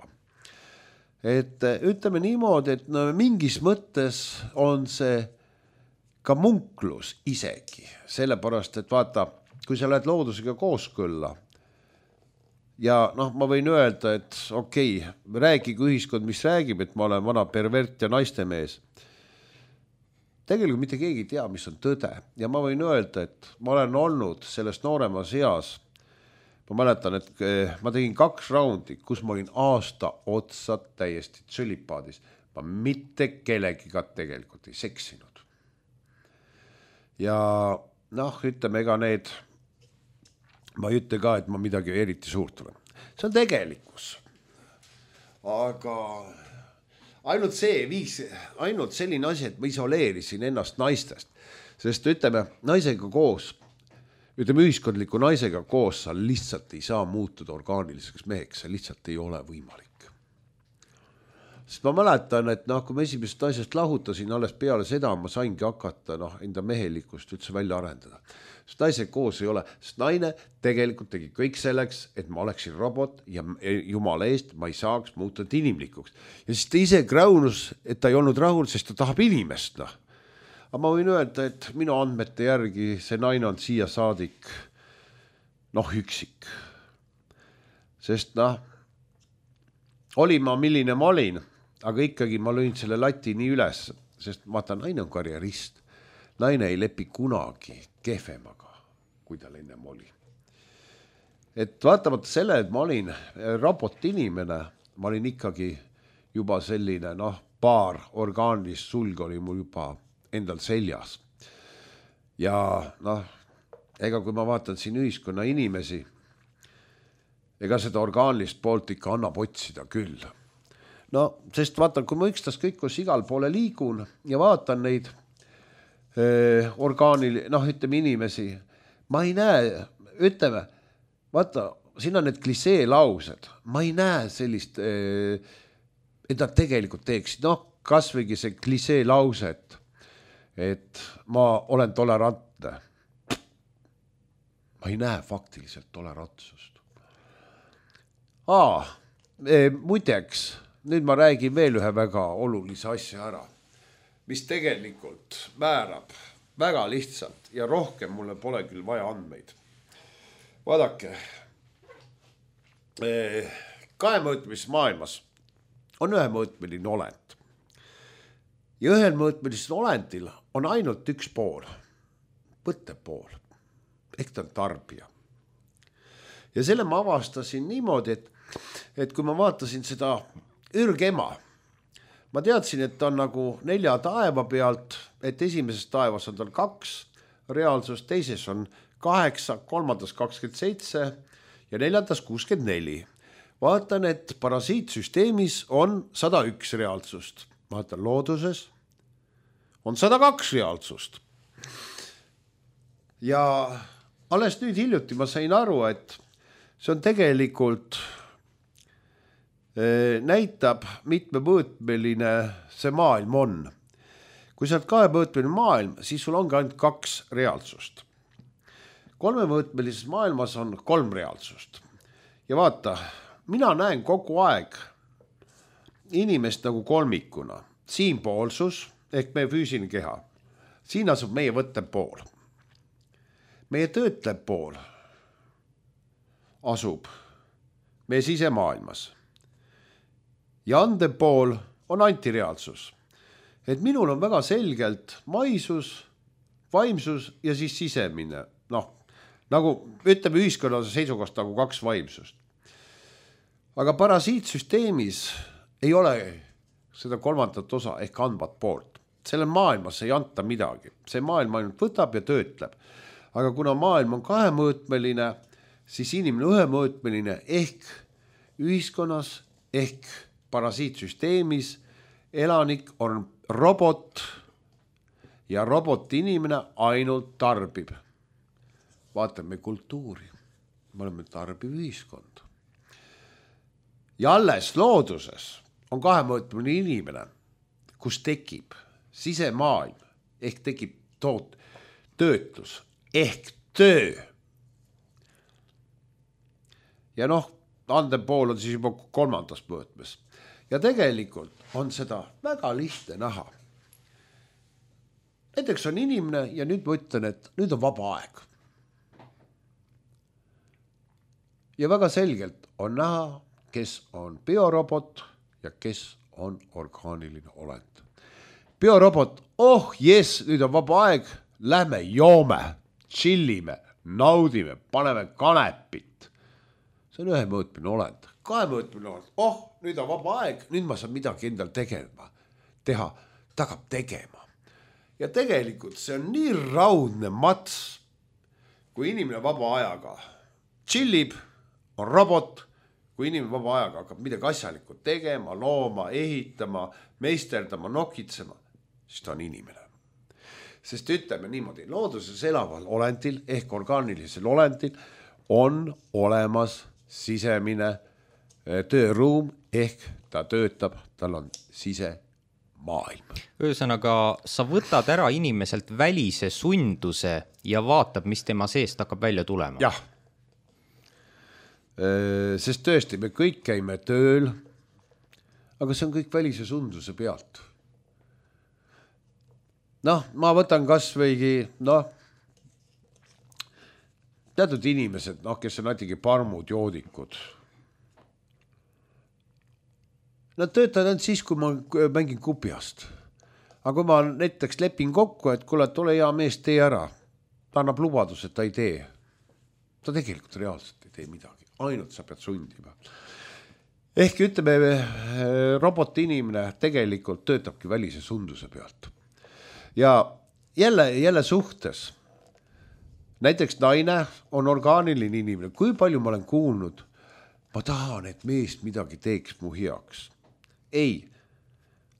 Et ütleme niimoodi, et no, mingis mõttes on see ka munklus isegi, sellepärast, et vaata, kui sa lähed loodusega kooskõlla, ja noh, ma võin öelda, et okei, okay, räägigu ühiskond, mis räägib, et ma olen vana pervert ja naistemees. Tegelikult mitte keegi ei tea, mis on tõde. Ja ma võin öelda, et ma olen olnud selles nooremas eas. Ma mäletan, et ma tegin kaks raundi, kus ma olin aasta otsa täiesti tsülipaadis. Ma mitte kellegiga tegelikult ei seksinud. Ja noh, ütleme, ega need, ma ei ütle ka, et ma midagi eriti suurt olen. See on tegelikkus. Aga ainult see viis, ainult selline asi, et ma isoleerisin ennast naistest. Sest ütleme, naisega koos, ütleme ühiskondliku naisega koos, sa lihtsalt ei saa muutuda orgaaniliseks meheks, see lihtsalt ei ole võimalik. Sest ma mäletan, et noh, kui ma esimesest naisest lahutasin, alles peale seda ma saingi hakata noh, enda mehelikkust üldse välja arendada. Sest naisega koos ei ole, sest naine tegelikult tegi kõik selleks, et ma oleksin robot ja jumala eest ma ei saaks muutuda inimlikuks. Ja siis ta ise kraunus, et ta ei olnud rahul, sest ta tahab inimest. Noh. Aga ma võin öelda, et minu andmete järgi see naine on siia saadik noh üksik. Sest noh, oli ma milline ma olin, aga ikkagi ma lõin selle lati nii üles, sest vaata, naine on karjerist. Naine ei lepi kunagi kehvemaga, kui tal ennem oli. Et vaatamata selle, et ma olin robot inimene, ma olin ikkagi juba selline, noh, paar orgaanilist sulg oli mul juba endal seljas. Ja noh, ega kui ma vaatan siin ühiskonna inimesi, ega seda orgaanilist poolt ikka annab otsida küll. No, sest vaatan, kui ma ükstas kõik, kus igal poole liigun ja vaatan neid eh, orgaanil, noh, ütleme inimesi, ma ei näe, ütleme, vaata, siin on need klisee laused, ma ei näe sellist, eh, et nad tegelikult teeksid, noh, kas võigi see klisee lauset, et ma olen tolerantne. Ma ei näe faktiliselt tolerantsust. Aa, eh, muideks, nüüd ma räägin veel ühe väga olulise asja ära, mis tegelikult määrab väga lihtsalt ja rohkem mulle pole küll vaja andmeid. Vaadake, kahemõõtmises maailmas on ühemõõtmeline olend. Ja ühemõõtmelisel olendil on ainult üks pool, võttepool, ehk ta on tarbija. Ja selle ma avastasin niimoodi, et, et kui ma vaatasin seda ürgema, ma teadsin, et ta on nagu nelja taeva pealt, et esimeses taevas on tal kaks reaalsust, teises on kaheksa, kolmandas kakskümmend seitse ja neljandas kuuskümmend neli. Vaatan, et parasiitsüsteemis on sada üks reaalsust. Vaatan, looduses on sada kaks reaalsust. Ja alles nüüd hiljuti ma sain aru, et see on tegelikult näitab mitmemõõtmeline see maailm on. Kui sa oled kahemõõtmeline maailm, siis sul ongi ainult kaks reaalsust. Kolmemõõtmelises maailmas on kolm reaalsust. Ja vaata, mina näen kogu aeg inimest nagu kolmikuna. Siin poolsus ehk meie füüsiline keha. Siin asub meie võttev pool. Meie töötlev pool asub meie sisemaailmas. Ja andev pool on antireaalsus. Et minul on väga selgelt maisus, vaimsus ja siis sisemine. Noh, nagu ütleme ühiskonna seisukohast nagu kaks vaimsust. Aga parasiitsüsteemis ei ole seda kolmandat osa ehk andvat poolt. Selle maailmas ei anta midagi. See maailm ainult võtab ja töötleb. Aga kuna maailm on kahemõõtmeline, siis inimene ühemõõtmeline ehk ühiskonnas ehk parasiitsüsteemis elanik on robot ja robot inimene ainult tarbib. Vaatame kultuuri. Me oleme tarbiv ühiskond. Ja alles looduses on kahemõõtmeline inimene, kus tekib sisemaailm ehk tekib toot, töötlus ehk töö. Ja noh, andev pool on siis juba kolmandas mõõtmes. Ja tegelikult on seda väga lihtne näha. Näiteks on inimene ja nüüd ma ütlen, et nüüd on vaba aeg. ja väga selgelt on näha, kes on biorobot ja kes on orgaaniline olend. Biorobot, oh jes, nüüd on vaba aeg, lähme joome, chillime, naudime, paneme kanepit. See on ühemõõtmine olend, kahemõõtmine olend, oh, nüüd on vaba aeg, nüüd ma saan midagi endal tegema, teha, ta hakkab tegema. Ja tegelikult see on nii raudne mats, kui inimene vaba ajaga chillib, on robot, kui inimene vaba ajaga hakkab midagi asjalikult tegema, looma, ehitama, meisterdama, nokitsema, siis ta on inimene. Sest ütleme niimoodi, looduses elaval olendil ehk orgaanilisel olendil on olemas sisemine tööruum ehk ta töötab, tal on sisemaailm. Ühesõnaga, sa võtad ära inimeselt välise sunduse ja vaatab, mis tema seest hakkab välja tulema. Jah. Sest tõesti, me kõik käime tööl, aga see on kõik välise sunduse pealt. Noh, ma võtan kas võigi, noh, teatud inimesed, noh, kes on natuke parmud, joodikud. Nad töötavad ainult siis, kui ma mängin kupiast. Aga kui ma näiteks lepin kokku, et kuule, tule hea mees, tee ära. Ta annab lubadus, et ta ei tee. Ta tegelikult reaalselt ei tee midagi. Ainult sa pead sundima. Ehk ütleme, roboti inimene tegelikult töötabki välise sunduse pealt. Ja jälle, jälle suhtes, näiteks naine on orgaaniline inimene. Kui palju ma olen kuulnud, ma tahan, et mees midagi teeks mu heaks. Ei,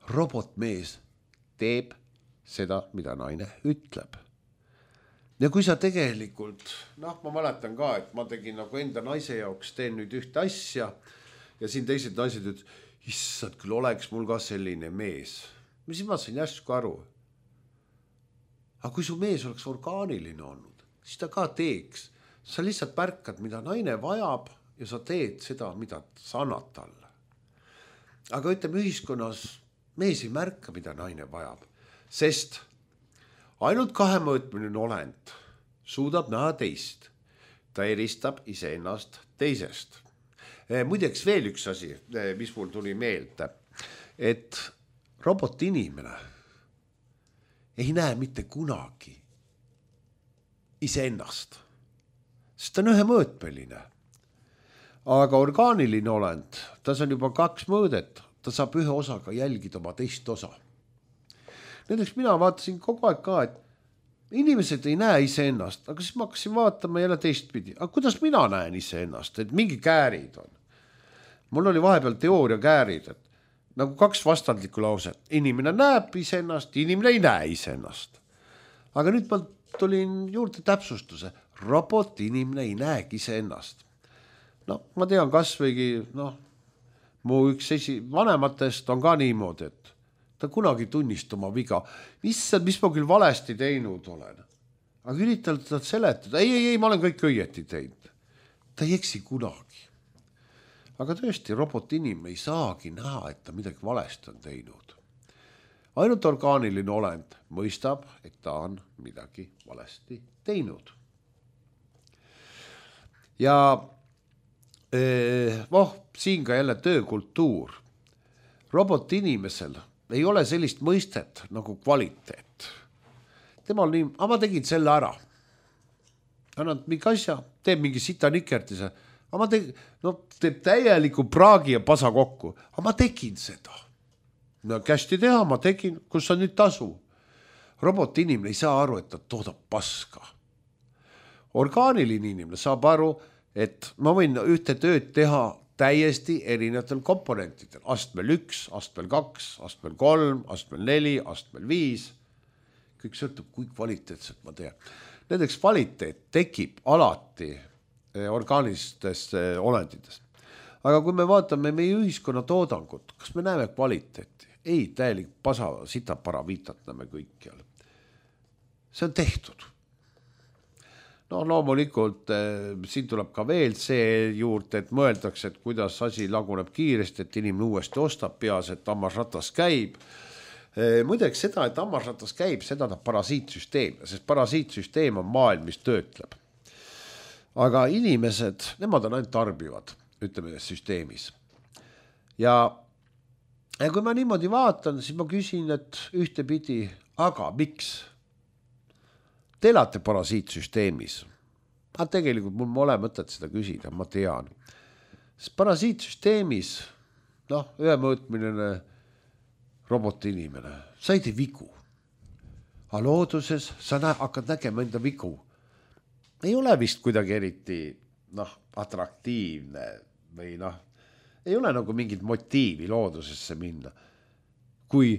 robotmees teeb seda, mida naine ütleb. Ja kui sa tegelikult, noh, ma mäletan ka, et ma tegin nagu enda naise jaoks, teen nüüd ühte asja ja siin teised naised ütles, issad, küll oleks mul ka selline mees. Mis ma sain järsku aru? Aga kui su mees oleks orgaaniline olnud, siis ta ka teeks. Sa lihtsalt märkad, mida naine vajab ja sa teed seda, mida sa annad talle. Aga ütleme ühiskonnas, mees ei märka, mida naine vajab, sest ainult kahemõõtmine olend suudab näha teist. Ta eristab iseennast teisest. Muideks veel üks asi, mis mul tuli meelde, et robot inimene ei näe mitte kunagi iseennast, sest ta on ühemõõtmeline. Aga orgaaniline olend, tas on juba kaks mõõdet, ta saab ühe osaga jälgida oma teist osa. Näiteks mina vaatasin kogu aeg ka, et inimesed ei näe iseennast, aga siis ma hakkasin vaatama jälle teistpidi. Aga kuidas mina näen iseennast, et mingi käärid on? Mul oli vahepeal teooria käärid, et nagu kaks vastandlikku lauset. Inimene näeb iseennast, inimene ei näe iseennast. Aga nüüd ma tulin juurde täpsustuse. Robot inimene ei näegi iseennast. No, ma tean kas võigi, noh, mu üks esi vanematest on ka niimoodi, et ta kunagi tunnist oma viga. Mis, mis ma küll valesti teinud olen? Aga üritan teda seletada. Ei, ei, ei, ma olen kõik õieti teinud. Ta ei eksi kunagi. Aga tõesti, robot inimene ei saagi näha, et ta midagi valesti on teinud. Ainult orgaaniline olend mõistab, et ta on midagi valesti teinud. Ja eh, oh, siin ka jälle töökultuur. Robot inimesel ei ole sellist mõistet nagu kvaliteet. Temal nii, aga ma tegin selle ära. Annad mingi asja, teeb mingi sita nikertise, aga ma tegin, no teeb täieliku praagi ja pasa kokku, aga ma tegin seda. No kästi teha, ma tegin, kus on nüüd tasu. Robot inimene ei saa aru, et ta toodab paska. Orgaaniline inimene saab aru, et ma võin ühte tööd teha täiesti erinevatel komponentidel. Astmel üks, astmel kaks, astmel kolm, astmel neli, astmel viis. Kõik sõltub, kui kvaliteetselt ma teen. Näiteks kvaliteet tekib alati orgaanilistes olenditest. Aga kui me vaatame meie ühiskonna toodangut, kas me näeme kvaliteeti? Ei, täielik pasa, sitapara viitatame kõikjal. See on tehtud. No loomulikult siin tuleb ka veel see juurde, et mõeldakse, et kuidas asi laguneb kiiresti, et inimene uuesti ostab peas, et hammasratas käib. Muideks seda, et hammasratas käib, seda ta parasiitsüsteem, sest parasiitsüsteem on maailm, mis töötleb. aga inimesed, nemad on ainult tarbivad, ütleme süsteemis. Ja, ja kui ma niimoodi vaatan, siis ma küsin, et ühtepidi, aga miks? Te elate parasiitsüsteemis. Aga tegelikult mul ma ole mõtet seda küsida, ma tean. Sest parasiitsüsteemis, noh, ühemõõtmiline roboti inimene, sa ei tee vigu. Aga looduses sa nä- hakkad nägema enda vigu. Ei ole vist kuidagi eriti noh, atraktiivne või noh, ei ole nagu mingit motiivi loodusesse minna. Kui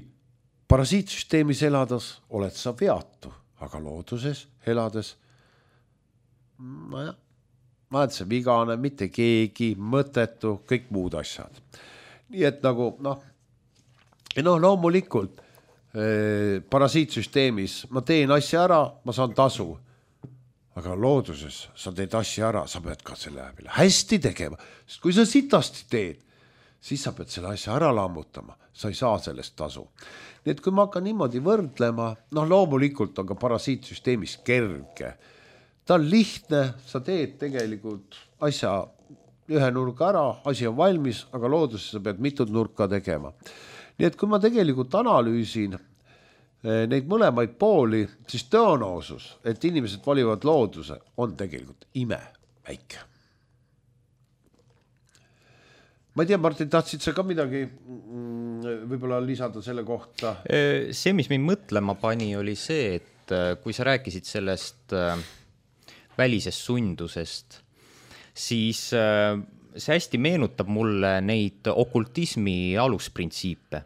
parasiitsüsteemis elades oled sa veatu, aga looduses elades no jah, ma olen see vigane, mitte keegi, mõttetu, kõik muud asjad. Nii et nagu noh, no loomulikult eh, parasiitsüsteemis ma teen asja ära, ma saan tasu. Aga looduses sa teed asja ära, sa pead ka selle hästi tegema. Sest kui sa sitasti teed, siis sa pead selle asja ära lammutama. Sa ei saa sellest tasu. Nii et kui ma hakkan niimoodi võrdlema, noh loomulikult on ka parasiitsüsteemis kerge. Ta on lihtne, sa teed tegelikult asja ühe nurga ära, asi on valmis, aga looduses sa pead mitut nurka tegema. Nii et kui ma tegelikult analüüsin neid mõlemaid pooli, siis tõenäosus, et inimesed valivad looduse, on tegelikult ime väike. Ma ei tea, Martin, tahtsid sa ka midagi võib-olla lisada selle kohta? See, mis mind mõtlema pani, oli see, et kui sa rääkisid sellest välisest sundusest, siis see hästi meenutab mulle neid okultismi alusprintsiipe.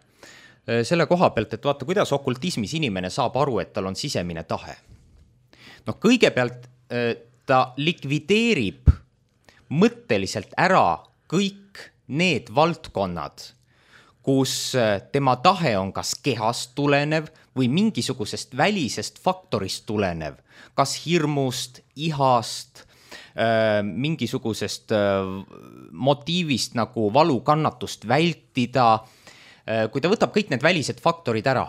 Selle koha pealt, et vaata, kuidas okultismis inimene saab aru, et tal on sisemine tahe. No kõigepealt ta likvideerib mõtteliselt ära kõik need valdkonnad, kus tema tahe on kas kehast tulenev või mingisugusest välisest faktorist tulenev, kas hirmust, ihast, mingisugusest motiivist nagu valukannatust vältida. Kui ta võtab kõik need välised faktorid ära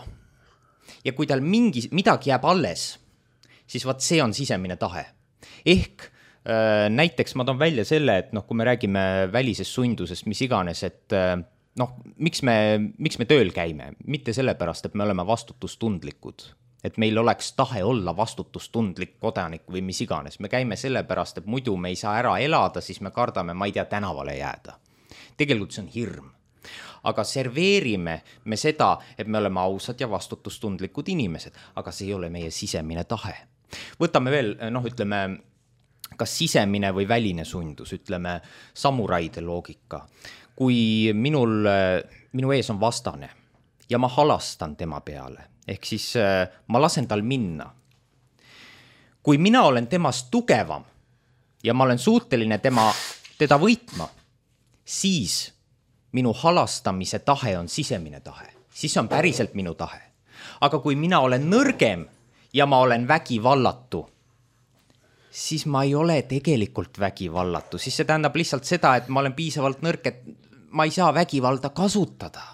ja kui tal mingi, midagi jääb alles, siis vaat see on sisemine tahe. Ehk näiteks ma toon välja selle, et noh, kui me räägime välisest sundusest, mis iganes, et noh, miks me, miks me tööl käime? Mitte sellepärast, et me oleme vastutustundlikud, et meil oleks tahe olla vastutustundlik kodanik või mis iganes. Me käime sellepärast, et muidu me ei saa ära elada, siis me kardame, ma ei tea, tänavale jääda. Tegelikult see on hirm. Aga serveerime me seda, et me oleme ausad ja vastutustundlikud inimesed, aga see ei ole meie sisemine tahe. Võtame veel, noh, ütleme, kas sisemine või väline sundus, ütleme, samuraide loogika. Kui minul, minu ees on vastane ja ma halastan tema peale, ehk siis ma lasen tal minna. Kui mina olen temast tugevam ja ma olen suuteline tema, teda võitma, siis minu halastamise tahe on sisemine tahe. Siis on päriselt minu tahe. Aga kui mina olen nõrgem ja ma olen vägivallatu, siis ma ei ole tegelikult vägivallatu. Siis see tähendab lihtsalt seda, et ma olen piisavalt nõrk, et ma ei saa vägivalda kasutada.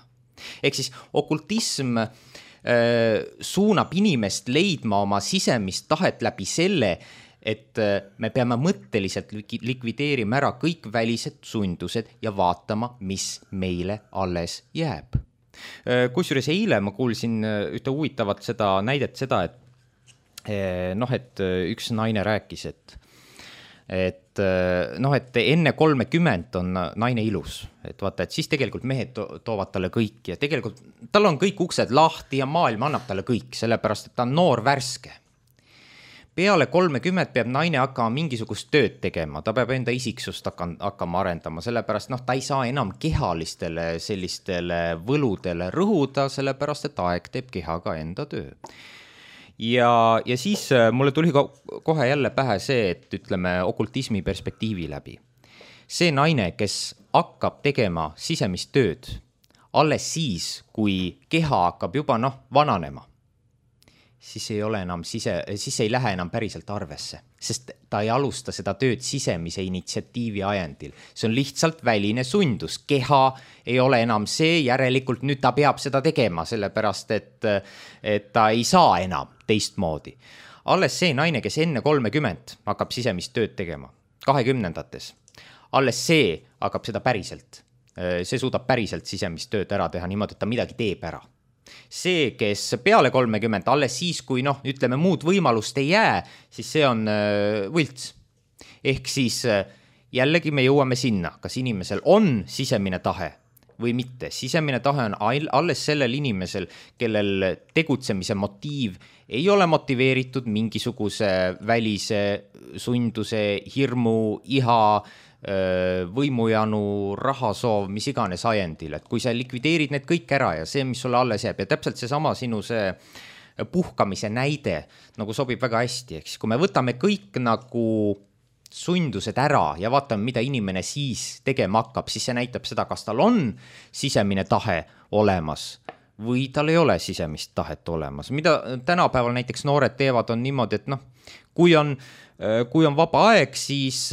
Ehk siis okultism äh, suunab inimest leidma oma sisemist tahet läbi selle, et me peame mõtteliselt likvideerima ära kõik välised sundused ja vaatama, mis meile alles jääb. Kusjuures eile ma kuulsin ühte huvitavat seda näidet seda, et noh, et üks naine rääkis, et et noh, et enne kolmekümmend on naine ilus, et vaata, et siis tegelikult mehed to- toovad talle kõik ja tegelikult tal on kõik uksed lahti ja maailm annab talle kõik, sellepärast, et ta on noor värske. Peale kolmekümmend peab naine hakkama mingisugust tööd tegema, ta peab enda isiksust hakkama arendama, sellepärast noh, ta ei saa enam kehalistele sellistele võludele rõhuda, sellepärast, et aeg teeb kehaga enda töö. Ja, ja siis mulle tuli kohe jälle pähe see, et ütleme okultismi perspektiivi läbi. See naine, kes hakkab tegema sisemist tööd, alles siis, kui keha hakkab juba noh, vananema, siis ei ole enam sise, siis ei lähe enam päriselt arvesse, sest ta ei alusta seda tööd sisemise initsiatiivi ajendil. See on lihtsalt väline sundus. Keha ei ole enam see, järelikult nüüd ta peab seda tegema, sellepärast, et, et ta ei saa enam teistmoodi. Alles see naine, kes enne kolmekümmend hakkab sisemist tööd tegema, kahekümnendates. Alles see hakkab seda päriselt. See suudab päriselt sisemist tööd ära teha niimoodi, et ta midagi teeb ära. See, kes peale kolmekümmend, alles siis, kui noh, ütleme muud võimalust ei jää, siis see on võlts. Ehk siis jällegi me jõuame sinna, kas inimesel on sisemine tahe või mitte. Sisemine tahe on alles sellel inimesel, kellel tegutsemise motiiv ei ole motiveeritud mingisuguse välise sunduse, hirmu, iha, võimujanu, rahasoov, mis iganes ajendil. Et kui sa likvideerid need kõik ära ja see, mis sulle alles jääb, ja täpselt see sama sinu see puhkamise näide nagu sobib väga hästi. Eks kui me võtame kõik nagu sundused ära ja vaatame, mida inimene siis tegema hakkab, siis see näitab seda, kas tal on sisemine tahe olemas või tal ei ole sisemist tahet olemas. Mida tänapäeval näiteks noored teevad on niimoodi, et noh, kui on, kui on vaba aeg, siis,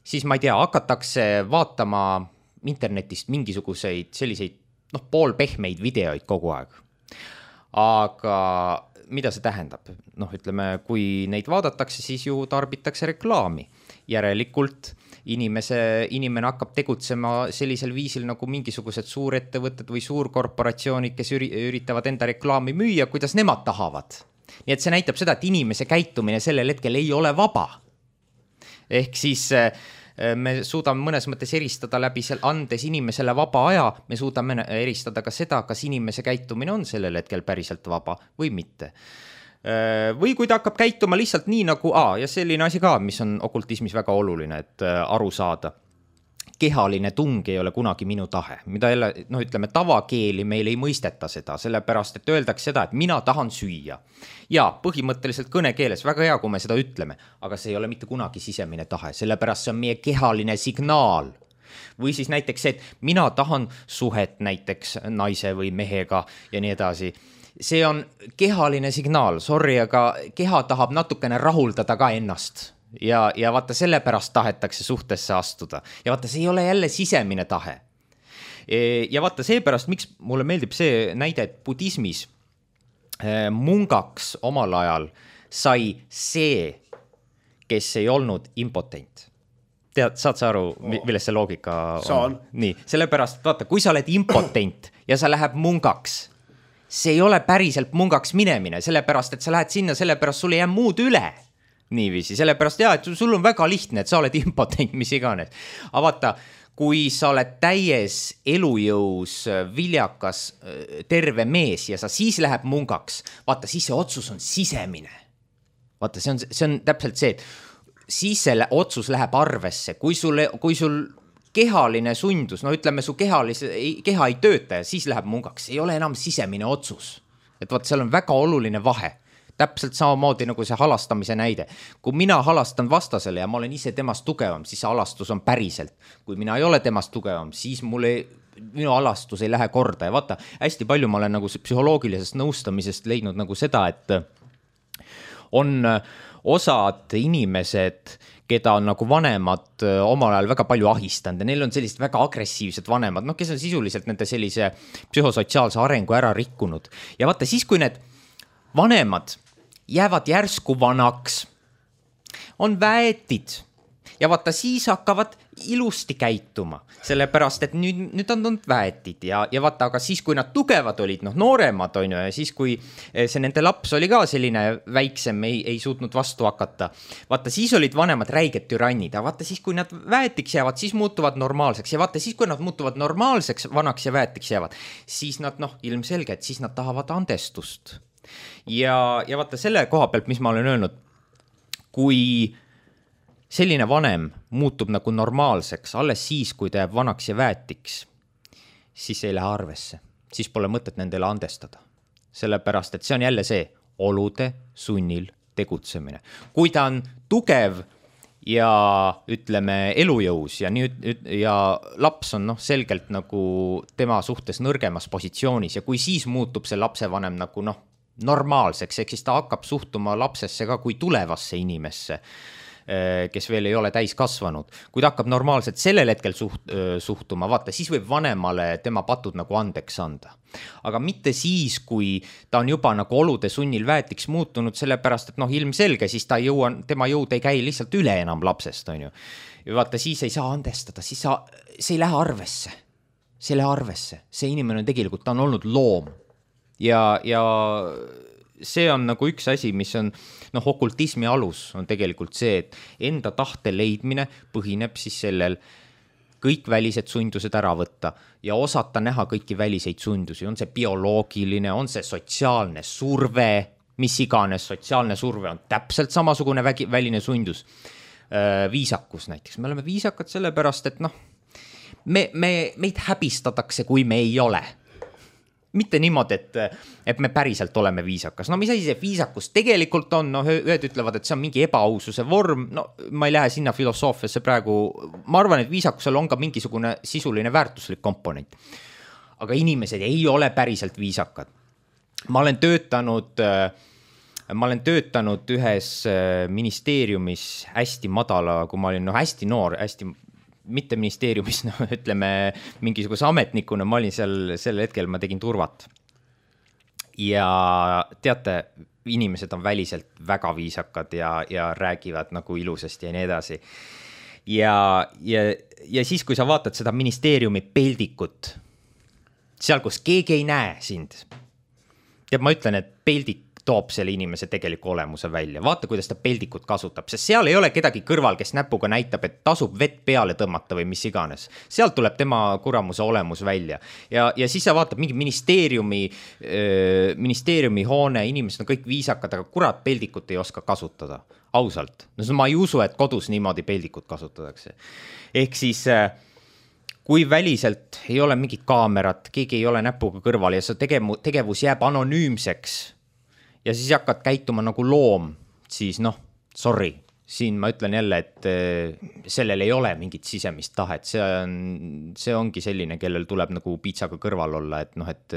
siis ma ei tea, hakatakse vaatama internetist mingisuguseid selliseid noh, poolpehmeid videoid kogu aeg. Aga mida see tähendab? Noh, ütleme, kui neid vaadatakse, siis ju tarbitakse reklaami. Järelikult inimese, inimene hakkab tegutsema sellisel viisil nagu mingisugused suurettevõtted või suurkorporatsioonid, kes üritavad enda reklaami müüa, kuidas nemad tahavad. Nii et see näitab seda, et inimese käitumine sellel hetkel ei ole vaba. Ehk siis me suudame mõnes mõttes eristada läbi seal andes inimesele vaba aja, me suudame eristada ka seda, kas inimese käitumine on sellel hetkel päriselt vaba või mitte. Või kui ta hakkab käituma lihtsalt nii nagu, aa, ja selline asi ka, mis on okultismis väga oluline, et aru saada. Kehaline tung ei ole kunagi minu tahe, mida jälle, no ütleme, tavakeeli meil ei mõisteta seda, sellepärast, et öeldakse seda, et mina tahan süüa. Ja põhimõtteliselt kõnekeeles, väga hea, kui me seda ütleme, aga see ei ole mitte kunagi sisemine tahe, sellepärast see on meie kehaline signaal. Või siis näiteks see, et mina tahan suhet näiteks naise või mehega ja nii edasi. See on kehaline signaal, sorry, aga keha tahab natukene rahuldada ka ennast. Ja, ja vaata, sellepärast tahetakse suhtesse astuda. Ja vaata, see ei ole jälle sisemine tahe. Ja vaata, seepärast, miks mulle meeldib see näide, et budismis mungaks omal ajal sai see, kes ei olnud impotent. Tead, saad sa aru, millest see loogika on? Saan. Nii, sellepärast, vaata, kui sa oled impotent ja sa läheb mungaks, see ei ole päriselt mungaks minemine, sellepärast, et sa lähed sinna, sellepärast sul ei jää muud üle. Niiviisi, sellepärast jah, et sul on väga lihtne, et sa oled impotent, mis iganes. Aga vaata, kui sa oled täies elujõus, viljakas, terve mees ja sa siis läheb mungaks, vaata, siis see otsus on sisemine. Vaata, see on, see on täpselt see, et siis selle otsus läheb arvesse, kui sul, kui sul kehaline sundus, no ütleme, su kehalise, keha ei tööta ja siis läheb mungaks, ei ole enam sisemine otsus. Et vaat, seal on väga oluline vahe. Täpselt samamoodi nagu see halastamise näide. Kui mina halastan vastasele ja ma olen ise temast tugevam, siis see halastus on päriselt. Kui mina ei ole temast tugevam, siis mul ei, minu halastus ei lähe korda. Ja vaata, hästi palju ma olen nagu psühholoogilisest nõustamisest leidnud nagu seda, et on osad inimesed, keda on nagu vanemad omal ajal väga palju ahistanud ja neil on sellised väga agressiivsed vanemad, noh, kes on sisuliselt nende sellise psühhosotsiaalse arengu ära rikkunud. Ja vaata, siis kui need vanemad jäävad järsku vanaks, on väetid ja vaata, siis hakkavad ilusti käituma, sellepärast, et nüüd, nüüd on olnud väetid ja, ja vaata, aga siis, kui nad tugevad olid, noh, nooremad on ju, ja siis, kui see nende laps oli ka selline väiksem, ei, ei suutnud vastu hakata, vaata, siis olid vanemad räiged türannid, ja vaata, siis, kui nad väetiks jäävad, siis muutuvad normaalseks ja vaata, siis, kui nad muutuvad normaalseks, vanaks ja väetiks jäävad, siis nad, noh, ilmselge, et siis nad tahavad andestust. Ja, ja vaata selle koha pealt, mis ma olen öelnud, kui selline vanem muutub nagu normaalseks alles siis, kui ta jääb vanaks ja väetiks, siis ei lähe arvesse. Siis pole mõtet nendele andestada. Sellepärast, et see on jälle see olude sunnil tegutsemine. Kui ta on tugev ja ütleme elujõus ja, nüüd, ja laps on noh, selgelt nagu tema suhtes nõrgemas positsioonis ja kui siis muutub see lapsevanem nagu noh, normaalseks, ehk siis ta hakkab suhtuma lapsesse ka kui tulevasse inimesse, kes veel ei ole täis kasvanud. Kui ta hakkab normaalselt sellel hetkel suht, suhtuma, vaata, siis võib vanemale tema patud nagu andeks anda. Aga mitte siis, kui ta on juba nagu olude sunnil väetiks muutunud, sellepärast, et noh, ilmselge, siis ta jõua, tema jõud ei käi lihtsalt üle enam lapsest, on ju. Ja vaata, siis ei saa andestada, siis sa, see ei lähe arvesse. See ei lähe arvesse. See inimene on tegelikult, ta on olnud loom. Ja, ja see on nagu üks asi, mis on, noh, okultismi alus on tegelikult see, et enda tahte leidmine põhineb siis sellel kõik välised sundused ära võtta ja osata näha kõiki väliseid sundusi. On see bioloogiline, on see sotsiaalne surve, mis iganes sotsiaalne surve on täpselt samasugune vägi, väline sundus. Viisakus näiteks. Me oleme viisakad sellepärast, et noh, me, me, meid häbistatakse, kui me ei ole. Mitte niimoodi, et, et me päriselt oleme viisakas. No mis asi see viisakus tegelikult on? No ühed ütlevad, et see on mingi ebaaususe vorm. No ma ei lähe sinna filosoofiasse praegu. Ma arvan, et viisakusel on ka mingisugune sisuline väärtuslik komponent. Aga inimesed ei ole päriselt viisakad. Ma olen töötanud, ma olen töötanud ühes ministeeriumis hästi madala, kui ma olin no, hästi noor, hästi mitte ministeeriumis, no, ütleme mingisuguse ametnikuna, ma olin seal, sel hetkel ma tegin turvat. Ja teate, inimesed on väliselt väga viisakad ja, ja räägivad nagu ilusasti ja nii edasi. Ja, ja, ja siis, kui sa vaatad seda ministeeriumi peldikut, seal, kus keegi ei näe sind, ja ma ütlen, et peldik toob selle inimese tegeliku olemuse välja. Vaata, kuidas ta peldikut kasutab, sest seal ei ole kedagi kõrval, kes näpuga näitab, et tasub vett peale tõmmata või mis iganes. Sealt tuleb tema kuramuse olemus välja. Ja, ja siis sa vaatad mingi ministeeriumi, ministeeriumi hoone, inimesed on kõik viisakad, aga kurat peldikut ei oska kasutada. Ausalt. No ma ei usu, et kodus niimoodi peldikut kasutatakse. Ehk siis kui väliselt ei ole mingit kaamerat, keegi ei ole näpuga kõrval ja see tegevus jääb anonüümseks, ja siis hakkad käituma nagu loom, siis noh, sorry, siin ma ütlen jälle, et sellel ei ole mingit sisemist tahet, see, on, see ongi selline, kellel tuleb nagu piitsaga kõrval olla, et noh, et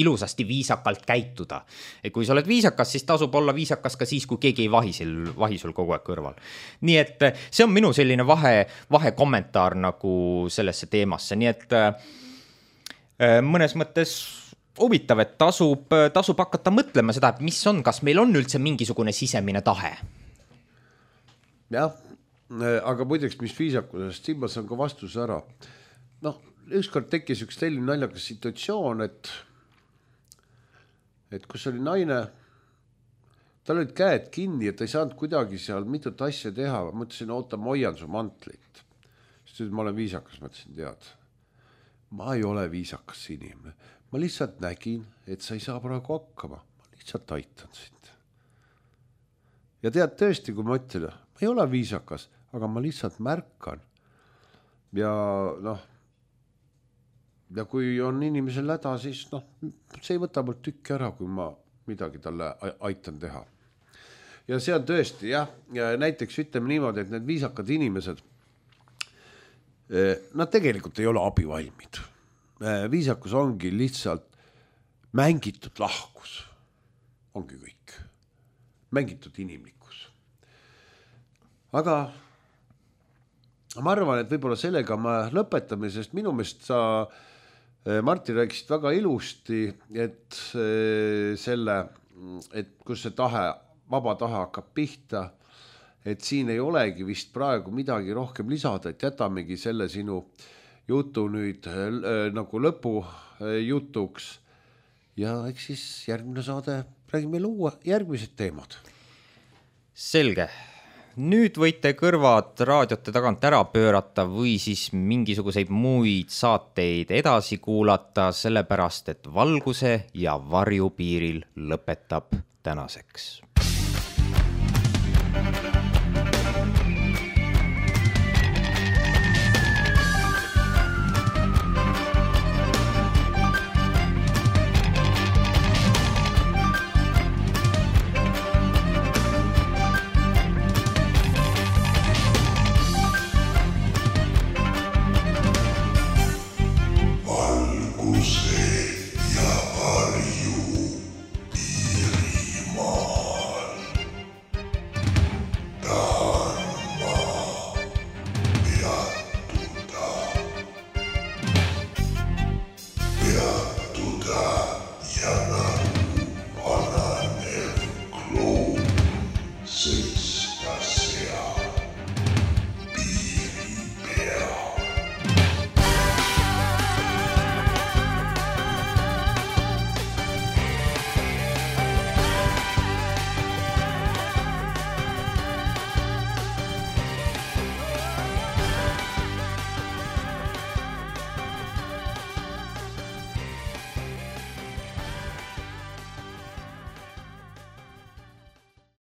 ilusasti viisakalt käituda. Et kui sa oled viisakas, siis tasub olla viisakas ka siis, kui keegi ei vahi, sil, vahi sul kogu aeg kõrval. Nii et see on minu selline vahe, vahe kommentaar nagu sellesse teemasse, nii et mõnes mõttes huvitav, et tasub, tasub hakata mõtlema seda, et mis on, kas meil on üldse mingisugune sisemine tahe? Jah, aga muideks, mis viisakusest, siin ma saan ka vastuse ära. Noh, ükskord tekkis üks selline naljakas situatsioon, et, et kus oli naine, tal olid käed kinni ja ta ei saanud kuidagi seal mitut asja teha. Ma mõtlesin, oota, ma hoian su mantlit. Siis ma olen viisakas, mõtlesin, tead. Ma ei ole viisakas inimene. Ma lihtsalt nägin, et sa ei saa praegu hakkama. Ma lihtsalt aitan sind. Ja tead tõesti, kui ma ütlen, ma ei ole viisakas, aga ma lihtsalt märkan. Ja noh, ja kui on inimesel häda, siis noh, see ei võta mul tükki ära, kui ma midagi talle aitan teha. Ja see on tõesti, jah, ja näiteks ütleme niimoodi, et need viisakad inimesed, nad tegelikult ei ole abivalmid. Viisakus ongi lihtsalt mängitud lahkus. Ongi kõik. Mängitud inimlikkus. Aga ma arvan, et võib-olla sellega ma lõpetame, sest minu meelest sa, Martin, rääkisid väga ilusti, et selle, et kus see tahe, vaba tahe hakkab pihta, et siin ei olegi vist praegu midagi rohkem lisada, et jätamegi selle sinu jutu nüüd äh, nagu lõpu äh, jutuks ja eks siis järgmine saade räägime luua järgmised teemad. Selge. Nüüd võite kõrvad raadiote tagant ära pöörata või siis mingisuguseid muid saateid edasi kuulata, sellepärast et valguse ja varju piiril lõpetab tänaseks.